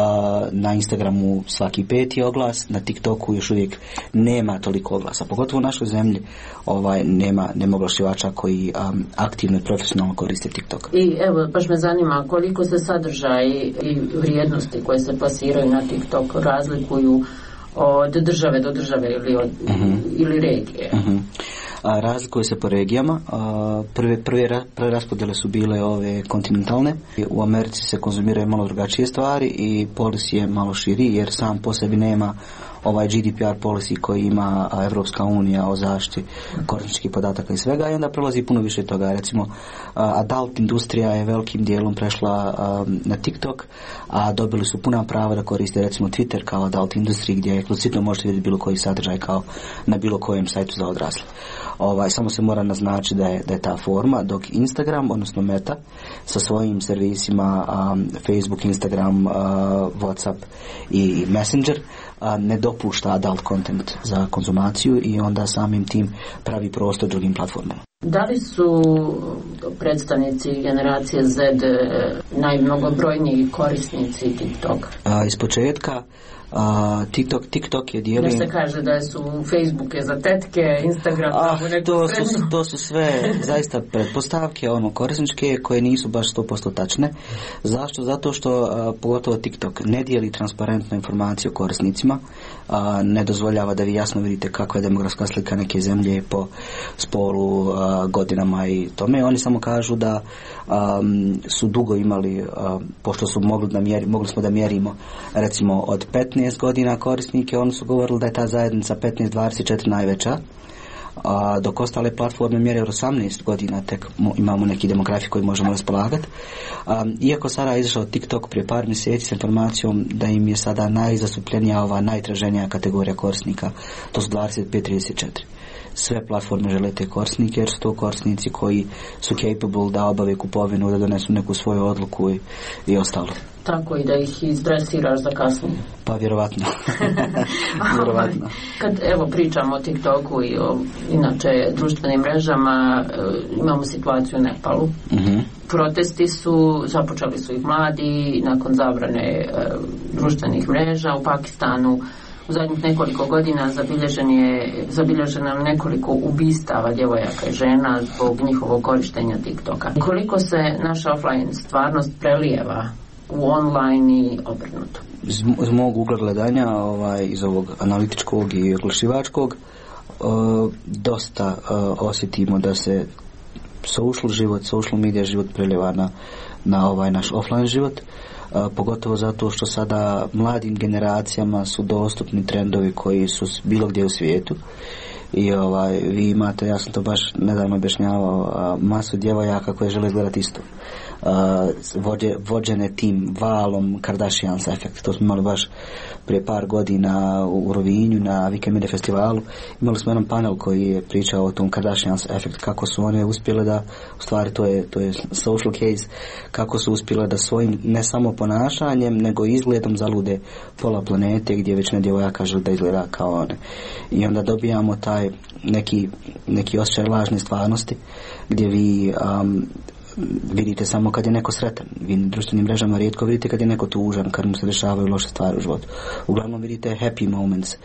na Instagramu svaki peti oglas, na TikToku još uvijek nema toliko oglasa, pogotovo u našoj zemlji ovaj, nema, nema oglašivača koji um, aktivno i profesionalno koriste TikTok. I evo, baš me zanima koliko se sadržaj i vrijednosti koje se plasiraju na TikTok razlikuju od države do države ili, od, uh-huh. ili regije. Uh-huh. A, razlikuju se po regijama. A, prve, prve, prve raspodjele su bile ove kontinentalne. U Americi se konzumiraju malo drugačije stvari i policy je malo širi jer sam po sebi nema ovaj G D P R policy koji ima Evropska unija o zaštiti korisničkih podataka i svega i onda prelazi puno više toga. Recimo adult industrija je velikim dijelom prešla na TikTok, a dobili su puna prava da koriste recimo Twitter kao adult industriji gdje eksplicitno možete vidjeti bilo koji sadržaj kao na bilo kojem sajtu za odrasle. Ovaj, samo se mora naznačiti da je, da je ta forma, dok Instagram, odnosno Meta, sa svojim servisima um, Facebook, Instagram, uh, WhatsApp i Messenger uh, ne dopušta adult content za konzumaciju i onda samim tim pravi prostor drugim platformama. Da li su predstavnici generacije Z najmnogobrojniji korisnici TikTok? Uh, iz početka Uh, TikTok, TikTok je dijelim... Da se kaže da su Facebook je za tetke, Instagram ah, to, su, to su sve zaista pretpostavke, ono, korisničke koje nisu baš sto posto tačne. Zašto? Zato što uh, pogotovo TikTok ne dijeli transparentnu informaciju o korisnicima, uh, ne dozvoljava da vi jasno vidite kakva je demografska slika neke zemlje po spolu, uh, godinama i tome. Oni samo kažu da um, su dugo imali, uh, pošto su mogli, da mjeri, mogli smo da mjerimo recimo od petnaest godina korisnike, oni su govorili da je ta zajednica petnaest dvadeset četiri najveća, a dok ostale platforme mjere od osamnaest godina tek imamo neki demografi koji možemo raspolagati. Iako sada je izašao TikTok prije par mjeseci s informacijom da im je sada najzastupljenija ova najtraženija kategorija korisnika, to su dvadeset pet trideset četiri. Sve platforme žele te korisnike jer su to korisnici koji su capable da obave kupovinu, da donesu neku svoju odluku i, i ostalo. Tako i da ih izdresiraš za kasnije. Pa vjerovatno. vjerovatno. Kad evo pričamo o TikToku i o inače društvenim mrežama, imamo situaciju u Nepalu. Uh-huh. Protesti su, započeli su ih mladi nakon zabrane e, društvenih mreža. U Pakistanu u zadnjih nekoliko godina zabilježen je, zabilježeno nekoliko ubistava djevojaka i žena zbog njihovog korištenja TikToka. Koliko se naša offline stvarnost prelijeva u online i obrnuto? Iz, iz mog ugla gledanja, ovaj, iz ovog analitičkog i oglašivačkog, uh, dosta uh, osjetimo da se social život, social media život prelijeva na, na ovaj naš offline život. Uh, pogotovo zato što sada mladim generacijama su dostupni trendovi koji su bilo gdje u svijetu i ovaj, vi imate, ja sam to baš nedavno objašnjavao, uh, masu djevojaka koje žele izgledati isto. Uh, vođe, vođene tim valom Kardashians efekt. To smo imali baš prije par godina u Rovinju na Weekend Media festivalu. Imali smo jedan panel koji je pričao o tom Kardashians efekt, kako su one uspjele da, u stvari to je, to je social case, kako su uspjele da svojim ne samo ponašanjem nego izgledom zalude pola planete gdje već ne djevojaka žele da izgleda kao one. I onda dobijamo taj neki, neki osjećaj lažne stvarnosti gdje vi um, vidite samo kad je neko sretan. Vi na društvenim mrežama rijetko vidite kad je neko tužan, kad mu se dešavaju loše stvari u životu. Uglavnom vidite happy moments,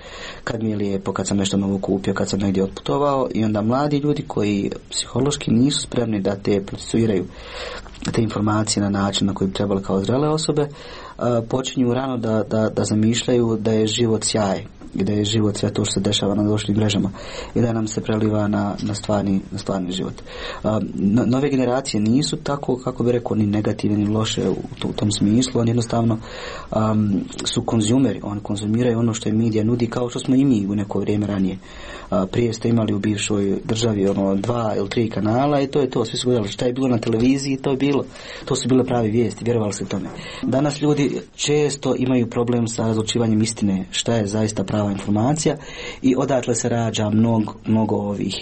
kad mi je lijepo, kad sam nešto novo kupio, kad sam negdje otputovao, i onda mladi ljudi koji psihološki nisu spremni da te procesuiraju te informacije na način na koji bi trebali kao zrele osobe, počinju rano da, da, da zamišljaju da je život sjaj i da je život sve to što se dešava na društvenim mrežama i da nam se preliva na, na, stvarni, na stvarni život. No, nove generacije nisu tako, kako bi rekao, ni negativne ni loše u, u tom smislu. Oni jednostavno um, su konzumeri, oni konzumiraju ono što je medija nudi, kao što smo i mi u neko vrijeme ranije. Uh, prije ste imali u bivšoj državi ono dva ili tri kanala i to je to, svi su gledali šta je bilo na televiziji, to je bilo, to su bile pravi vijesti, vjerovali se tome. Danas ljudi često imaju problem sa razlučivanjem istine, šta je zaista prava informacija, i odatle se rađa mnogo, mnogo ovih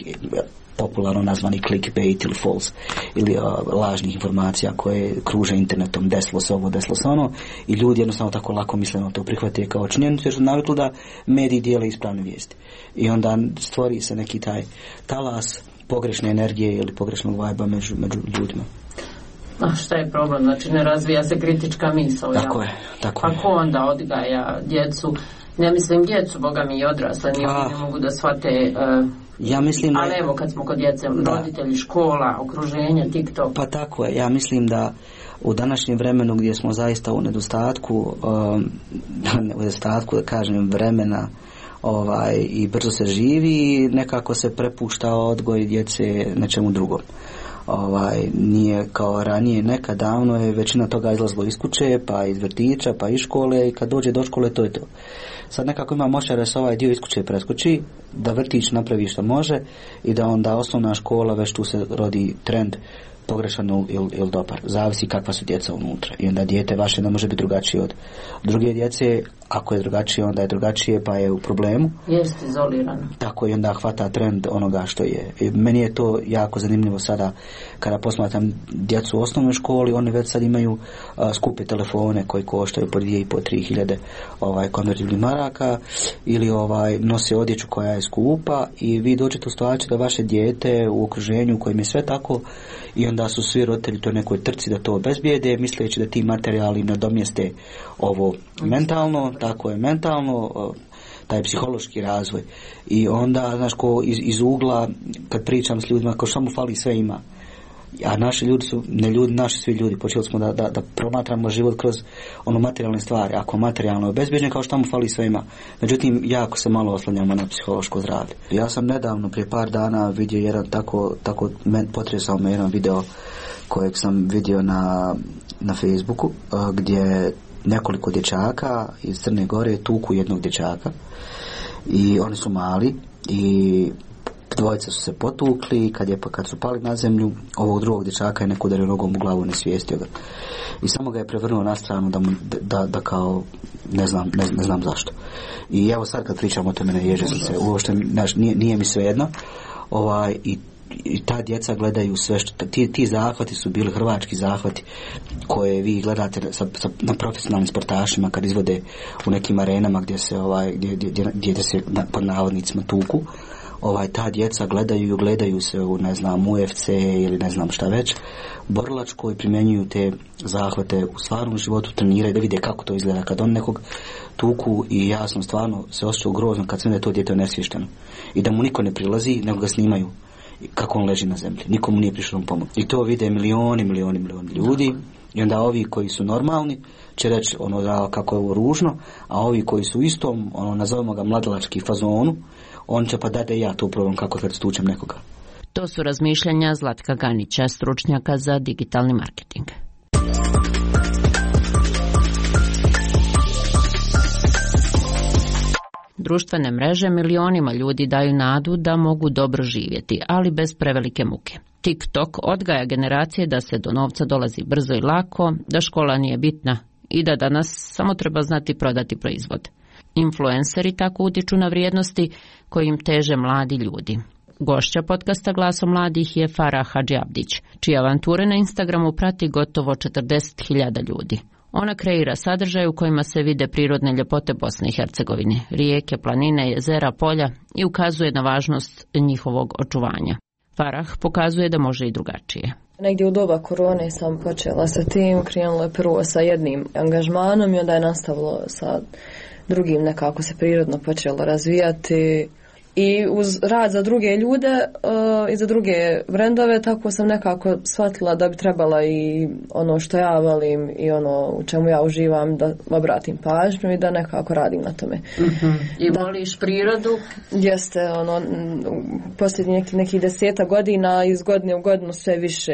popularno nazvani clickbait ili false ili uh, lažnih informacija koje kruže internetom, desilo se ovo, desilo se ono, i ljudi jednostavno tako lako misleno to prihvate kao činjenicu jer su navikli da mediji dijele ispravne vijesti i onda stvori se neki taj talas pogrešne energije ili pogrešnog vajba među, među ljudima. A šta je problem? Znači ne razvija se kritička misao. Tako ja? je, tako pa je. ko onda odgaja djecu? Ne mislim djecu, boga mi i odrasle, ni oni ne mogu da shvate. Uh, ja mislim da... Ali evo kad smo kod djece, roditelji, škola, okruženje, TikTok. Pa tako je, ja mislim da u današnjem vremenu gdje smo zaista u nedostatku, um, u nedostatku, da kažem, vremena ovaj, i brzo se živi, nekako se prepušta odgoj djece nečemu drugom. Ovaj, nije kao ranije, nekad davno je većina toga izlazilo iz kuće, pa iz vrtića, pa iz škole, i kad dođe do škole to je to. Sad nekako ima moćar da se ovaj dio iz kuće preskoči, da vrtić napravi što može i da onda osnovna škola, već tu se rodi trend pogrešan ili il dobar. Zavisi kakva su djeca unutra. I onda dijete vaše ne može biti drugačije od druge djece. Ako je drugačije, onda je drugačije, pa je u problemu. Jeste izolirano. Tako, i onda hvata trend onoga što je. I meni je to jako zanimljivo sada kada posmatram djecu u osnovnoj školi, oni već sad imaju uh, skupe telefone koji koštaju po dvije i po tri hiljade ovaj, konvertibilnih maraka, ili ovaj, nose odjeću koja je skupa, i vi dođete u situaciju da vaše dijete u okruženju u kojem je sve tako, i onda su svi roditelji to nekoj trci da to obezbijede, misleći da ti materijali nadomjeste ovo mentalno, tako je mentalno, taj psihološki razvoj. I onda, znaš, ko iz, iz ugla, kad pričam s ljudima, kao što mu fali, sve ima. A naši ljudi su, ne ljudi, naši svi ljudi, počeli smo da, da, da promatramo život kroz ono materijalne stvari. Ako materijalno je obezbjeđen, kao što mu fali, sve ima. Međutim, jako se malo oslanjamo na psihološko zdravlje. Ja sam nedavno, prije par dana, vidio jedan tako, tako potresao me jedan video kojeg sam vidio na, na Facebooku, gdje nekoliko dječaka iz Crne Gore tuku jednog dječaka, i oni su mali, i dvojica su se potukli, kad, je, kad su pali na zemlju, ovog drugog dječaka je neko udario nogom u glavu, ne svijestio ga. I samo ga je prevrnuo na stranu da, mu, da, da kao, ne znam, ne, ne znam zašto. I evo sad kad pričam o tome, ne ježe sam se, uopšte, znaš, nije, nije mi svejedno, ovaj, i i ta djeca gledaju sve što, ti, ti zahvati su bili hrvački zahvati koje vi gledate sa, sa, na profesionalnim sportašima kad izvode u nekim arenama gdje se ovaj, gdje, gdje, gdje se na, pod navodnicima tuku. Ovaj, ta djeca gledaju, gledaju se u, ne znam, U F C ili ne znam šta već, borilačko, i primjenjuju te zahvate u stvarnom životu, treniraju da vide kako to izgleda kad on nekog tuku, i ja sam stvarno se osjećao grozno kad sam da je to dijete nesvješteno i da mu niko ne prilazi, nego ga snimaju kako on leži na zemlji. Nikomu nije prišao na pomoć. I to vide milioni, milioni, milioni ljudi. I onda ovi koji su normalni će reći ono da kako je ovo ružno, a ovi koji su u istom, ono nazovemo ga mladalački fazonu, on će pa da da ja to probam kako kad stučem nekoga. To su razmišljanja Zlatka Ganića, stručnjaka za digitalni marketing. Društvene mreže milionima ljudi daju nadu da mogu dobro živjeti, ali bez prevelike muke. TikTok odgaja generacije da se do novca dolazi brzo i lako, da škola nije bitna i da danas samo treba znati prodati proizvod. Influenceri tako utječu na vrijednosti kojim teže mladi ljudi. Gošća podcasta Glasom mladih je Farah Hadžiabdić, čije avanture na Instagramu prati gotovo četrdeset hiljada ljudi. Ona kreira sadržaj u kojima se vide prirodne ljepote Bosne i Hercegovine, rijeke, planine, jezera, polja, i ukazuje na važnost njihovog očuvanja. Farah pokazuje da može i drugačije. Negdje u doba korone sam počela sa tim, krenula je prvo sa jednim angažmanom i onda je nastavilo sa drugim, nekako se prirodno počelo razvijati. I uz rad za druge ljude uh, i za druge brendove, tako sam nekako shvatila da bi trebala i ono što ja volim i ono u čemu ja uživam da obratim pažnju i da nekako radim na tome. Mm-hmm. I da, voliš prirodu? Jeste, ono, posljednjih nekih neki deseta godina, iz godine u godinu sve više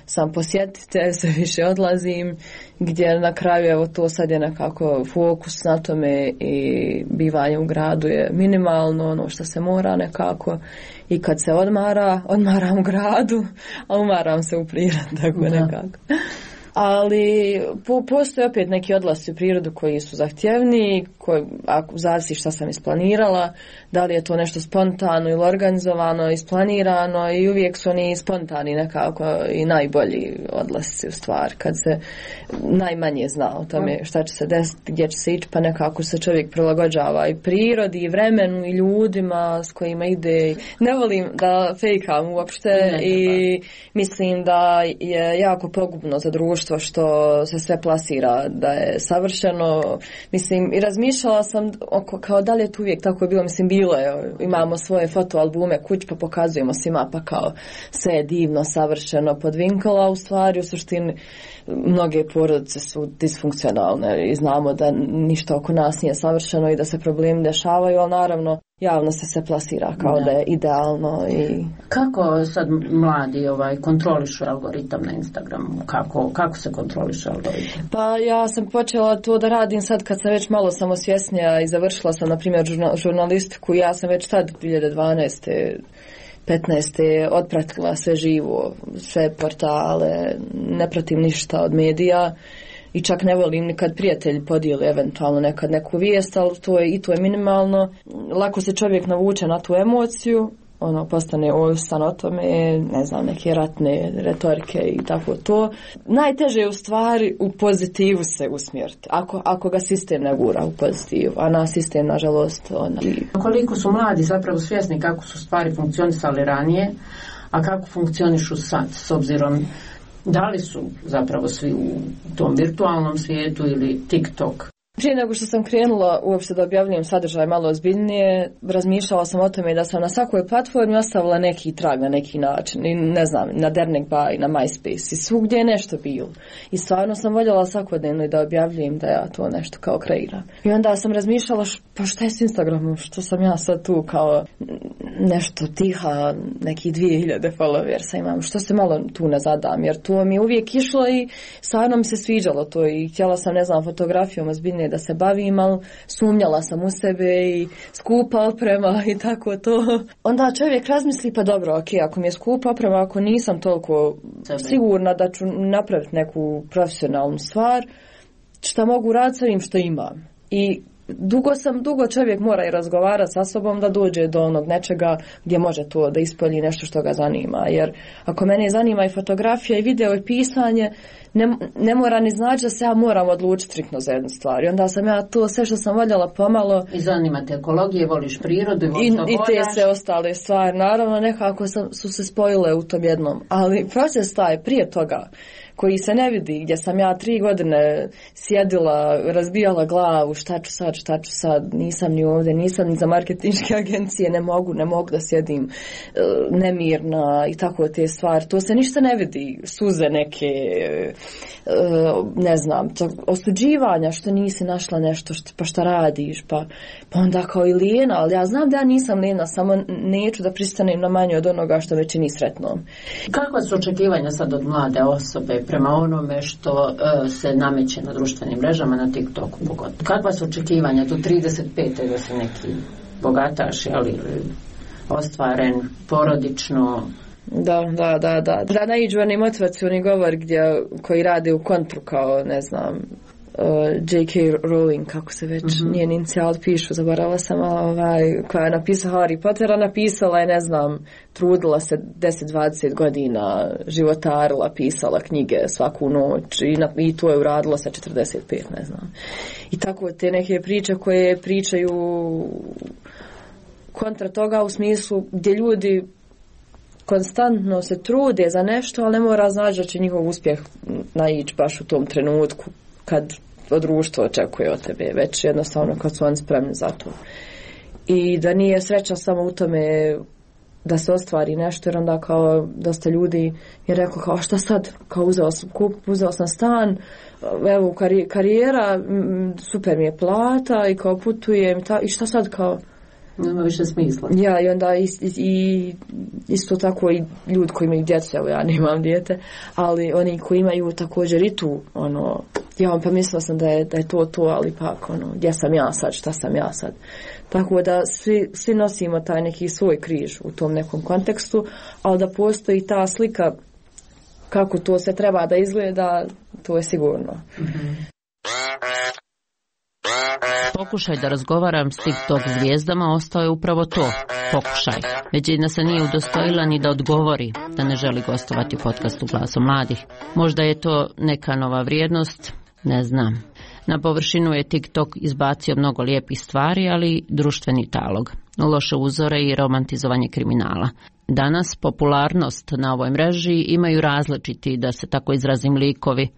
sam posjetitelj, sve više odlazim, gdje na kraju evo to sad je nekako fokus na tome i bivanje u gradu je minimalno, ono što se mora nekako, i kad se odmara, odmaram u gradu, a umaram se u prirodi, tako da. Nekako. Ali po, postoje opet neki odlasci u prirodu koji su zahtjevni, koji, ako zavisi šta sam isplanirala, da li je to nešto spontano ili organizovano, isplanirano, i uvijek su oni spontani nekako i najbolji odlasci u stvari, kad se najmanje zna o tome šta će se desiti, gdje će se ići, pa nekako se čovjek prilagođava i prirodi, i vremenu, i ljudima s kojima ide. Ne volim da fejkam uopšte i mislim da je jako pogubno za društvo što se sve plasira da je savršeno. Mislim, i razmišljala sam oko, kao da li je to uvijek tako bilo. Mislim, bilo je, imamo svoje fotoalbume kuć pa pokazujemo svima pa kao sve je divno, savršeno, podvinkala, u stvari u suštini mnoge porodice su disfunkcionalne i znamo da ništa oko nas nije savršeno i da se problemi dešavaju, ali naravno javno se se plasira kao da, da je idealno. I kako sad mladi ovaj kontrolišu algoritam na Instagramu? Kako, kako se kontroliše algoritam? Pa ja sam počela to da radim sad kad sam već malo samosvjesnija i završila sam na primjer žurnalistiku. Ja sam već tad dvije hiljade dvanaeste petnaeste otpratila sve živo, sve portale, ne pratim ništa od medija. I čak ne volim ni kad prijatelji podijeli eventualno nekad neku vijest, ali to je, i to je minimalno. Lako se čovjek navuče na tu emociju, ono, postane ovisan o tome, ne znam, neke ratne retorike i tako to. Najteže je u stvari u pozitivu se usmjeriti, ako, ako ga sistem ne gura u pozitivu, a na sistem, nažalost, ona. Koliko su mladi zapravo svjesni kako su stvari funkcionisali ranije, a kako funkcionišu sad, s obzirom da li su zapravo svi u tom virtualnom svijetu ili TikTok? Prije nego što sam krenula uopšte da objavljujem sadržaj malo ozbiljnije, razmišljala sam o tome da sam na svakoj platformi ostavila neki trag na neki način. I ne znam, na Dernek Bay, na MySpace i svugdje je nešto bilo. I stvarno sam voljela svakodnevno da objavljujem da ja to nešto kao kreiram. I onda sam razmišljala, š, pa šta je s Instagramom, što sam ja sad tu kao nešto tiha, neki dvije hiljade followersa imam, što se malo tu ne zadam, jer to mi je uvijek išlo i stvarno mi se sviđalo to i htjela sam, ne znam, fotografijom ozbiljnije da se bavim, ali sumnjala sam u sebe i skupa oprema i tako to. Onda čovjek razmisli, pa dobro, ok, ako mi je skupa oprema, ako nisam toliko sigurna da ću napraviti neku profesionalnu stvar, šta mogu raditi sa ovim što imam. I dugo sam, dugo čovjek mora i razgovarati sa sobom da dođe do onog nečega gdje može to da ispolji nešto što ga zanima. Jer ako mene zanima i fotografija i video i pisanje, ne, ne mora ni znači da se ja moram odlučiti striktno za jednu stvar. I onda sam ja to sve što sam voljela pomalo. I zanima te ekologije, voliš prirodu i, i, i te se ostale stvari. Naravno nekako sam, su se spojile u tom jednom. Ali proces taj prije toga koji se ne vidi, gdje sam ja tri godine sjedila, razbijala glavu, šta ću sad, šta ću sad, nisam ni ovdje, nisam ni za marketinške agencije, ne mogu, ne mogu da sjedim uh, nemirna i tako te stvari. To se ništa ne vidi, suze neke, uh, ne znam, to, osuđivanja što nisi našla nešto, što, pa šta radiš, pa, pa onda kao i lijena, ali ja znam da ja nisam lijena, samo neću da pristanem na manje od onoga što već i ni sretnom. Kakva su očekivanja sad od mlade osobe prema onome što uh, se nameće na društvenim mrežama, na TikToku pogotovo? Kakva su očekivanja do trideset pete da se neki bogataš, ali ostvaren porodično? Da, da, da, da. Da naiđu oni motivacioni govor gdje, koji rade u kontru kao, ne znam, uh, J K Rowling, kako se već mm-hmm. njen inicijal pišu, zaboravila sam, ovaj, koja je napisala Harry Pottera, napisala je, ne znam, trudila se deset dvadeset godina, životarila, pisala knjige svaku noć i, na, i to je uradila sa četrdeset pet, ne znam. I tako te neke priče koje pričaju kontra toga u smislu gdje ljudi konstantno se trude za nešto, ali ne mora znači da će njihov uspjeh naići baš u tom trenutku kad društvo očekuje od tebe, već jednostavno kad su oni spremni za to. I da nije sreća samo u tome da se ostvari nešto, jer onda kao dosta ljudi je rekao kao šta sad, kao uzeo sam kup, uzeo sam stan, evo kari, karijera, super mi je plata i kao putujem i, ta, i šta sad kao nema više smisla. Ja, i onda i, i, isto tako i ljudi koji imaju djecu, evo ja nemam dijete, ali oni koji imaju također i tu, ono, ja pa mislila sam da je, da je to to, ali pak, ono, gdje sam ja sad, šta sam ja sad. Tako da svi, svi nosimo taj neki svoj križ u tom nekom kontekstu, ali da postoji ta slika kako to se treba da izgleda, to je sigurno. Mm-hmm. Pokušaj da razgovaram s TikTok zvijezdama ostao je upravo to, pokušaj. Većina se nije udostojila ni da odgovori da ne želi gostovati u podcastu Glasom mladih. Možda je to neka nova vrijednost, ne znam. Na površinu je TikTok izbacio mnogo lijepih stvari, ali društveni talog, loše uzore i romantizovanje kriminala. Danas popularnost na ovoj mreži imaju različiti, da se tako izrazim, likovi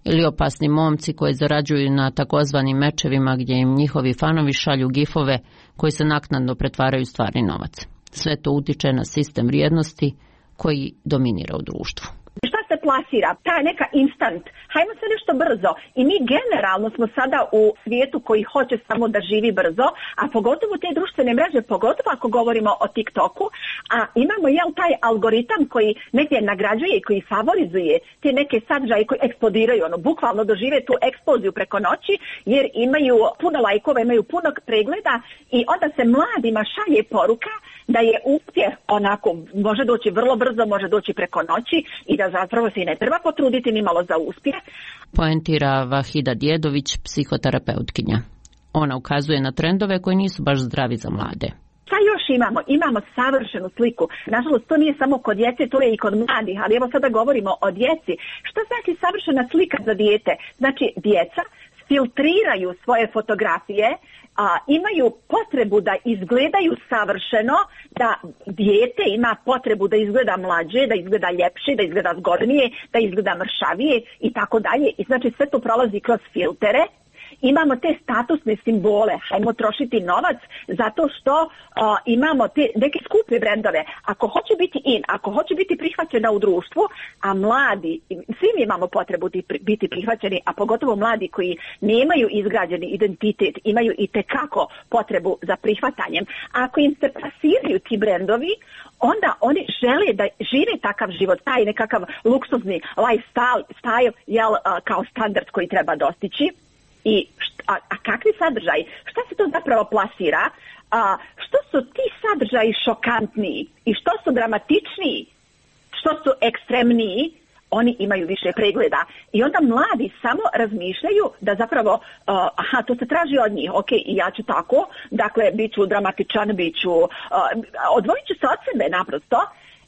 ili opasni momci koji zarađuju na takozvanim mečevima gdje im njihovi fanovi šalju gifove koji se naknadno pretvaraju u stvarni novac. Sve to utiče na sistem vrijednosti koji dominira u društvu. Šta se plasira? Ta neka instant. Hajmo se nešto brzo. I mi generalno smo sada u svijetu koji hoće samo da živi brzo, a pogotovo te društvene mreže, pogotovo ako govorimo o TikToku, a imamo jel taj algoritam koji negdje nagrađuje i koji favorizuje te neke sadržaje koji eksplodiraju, ono, bukvalno dožive tu eksploziju preko noći, jer imaju puno lajkova, imaju puno pregleda i onda se mladima šalje poruka da je uspjeh onako, može doći vrlo brzo, može doći preko noći i da zapravo se i ne treba potruditi ni malo za uspjeh. Poentira Vahida Djedović, psihoterapeutkinja. Ona ukazuje na trendove koji nisu baš zdravi za mlade. Šta još imamo? Imamo savršenu sliku. Nažalost, to nije samo kod djece, to je i kod mladih, ali evo sada govorimo o djeci. Što znači savršena slika za dijete? Znači, djeca filtriraju svoje fotografije, a, imaju potrebu da izgledaju savršeno, da dijete ima potrebu da izgleda mlađe, da izgleda ljepše, da izgleda zgodnije, da izgleda mršavije i tako dalje. I znači sve to prolazi kroz filtere. Imamo te statusne simbole, hajmo trošiti novac zato što uh, imamo te neke skupe brendove. Ako hoće biti in, ako hoće biti prihvaćena u društvu, a mladi, svi mi imamo potrebu biti prihvaćeni, a pogotovo mladi koji nemaju izgrađeni identitet, imaju i tekako potrebu za prihvatanjem. Ako im se plasiraju ti brendovi, onda oni žele da žive takav život, taj nekakav luksuzni lifestyle, style, jel, uh, kao standard koji treba dostići. I šta, a, a kakvi sadržaji? Šta se to zapravo plasira? A, što su ti sadržaji šokantniji i što su dramatičniji, što su ekstremniji, oni imaju više pregleda. I onda mladi samo razmišljaju da zapravo, uh, aha, to se traži od njih, ok, i ja ću tako, dakle, bit ću dramatičan, bit ću, uh, odvojit ću se od sebe naprosto,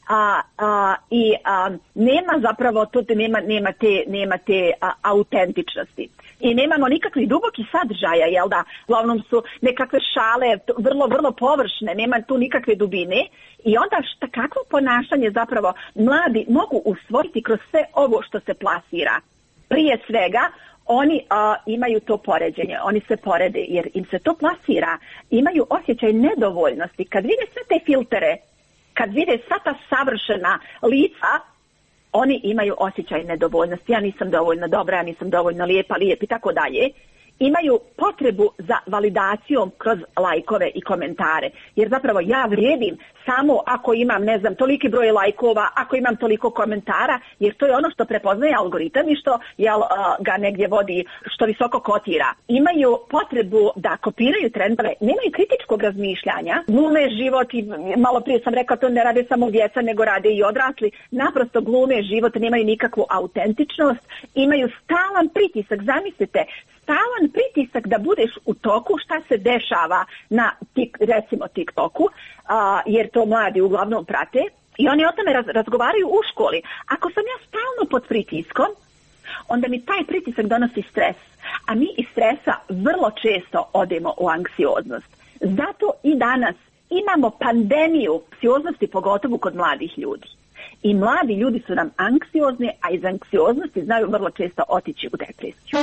a, a, i a, nema zapravo, tu nema, nema te, nema te a, autentičnosti. I nemamo nikakvih dubokih sadržaja, jel da? Uglavnom su nekakve šale, vrlo, vrlo površne, nema tu nikakve dubine. I onda šta, kakvo ponašanje zapravo mladi mogu usvojiti kroz sve ovo što se plasira? Prije svega, oni a, imaju to poređenje, oni se porede jer im se to plasira. Imaju osjećaj nedovoljnosti. Kad vide sve te filtere, kad vide sva ta savršena lica, oni imaju osjećaj nedovoljnosti. Ja nisam dovoljno dobra, ja nisam dovoljno lijepa, lijep i tako dalje. Imaju potrebu za validacijom kroz lajkove i komentare. Jer zapravo ja vrijedim samo ako imam, ne znam, toliki broj lajkova, ako imam toliko komentara, jer to je ono što prepoznaje algoritam i što jel, ga negdje vodi, što visoko kotira. Imaju potrebu da kopiraju trendove, nemaju kritičkog razmišljanja, glume život i malo prije sam rekla to ne rade samo djeca, nego rade i odrasli. Naprosto glume život, nemaju nikakvu autentičnost, imaju stalan pritisak, zamislite, stalan pritisak da budeš u toku šta se dešava na tik, recimo TikToku, a, jer to mladi uglavnom prate i oni o tome raz, razgovaraju u školi. Ako sam ja stalno pod pritiskom, onda mi taj pritisak donosi stres, a mi iz stresa vrlo često odemo u anksioznost. Zato i danas imamo pandemiju anksioznosti, pogotovo kod mladih ljudi. I mladi ljudi su nam anksiozni, a iz anksioznosti znaju vrlo često otići u depresiju.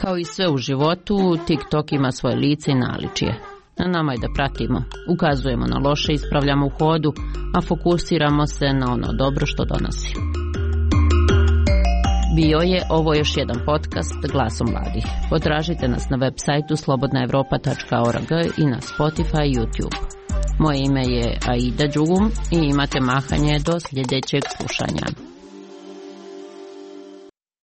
Kao i sve u životu, TikTok ima svoje lice i naličje. Na nama je da pratimo, ukazujemo na loše, ispravljamo u hodu, a fokusiramo se na ono dobro što donosi. Bio je ovo još jedan podcast Glasom mladih. Potražite nas na web sajtu slobodna evropa tačka org i na Spotify i YouTube. Moje ime je Aida Đugum i imate mahanje do sljedećeg slušanja.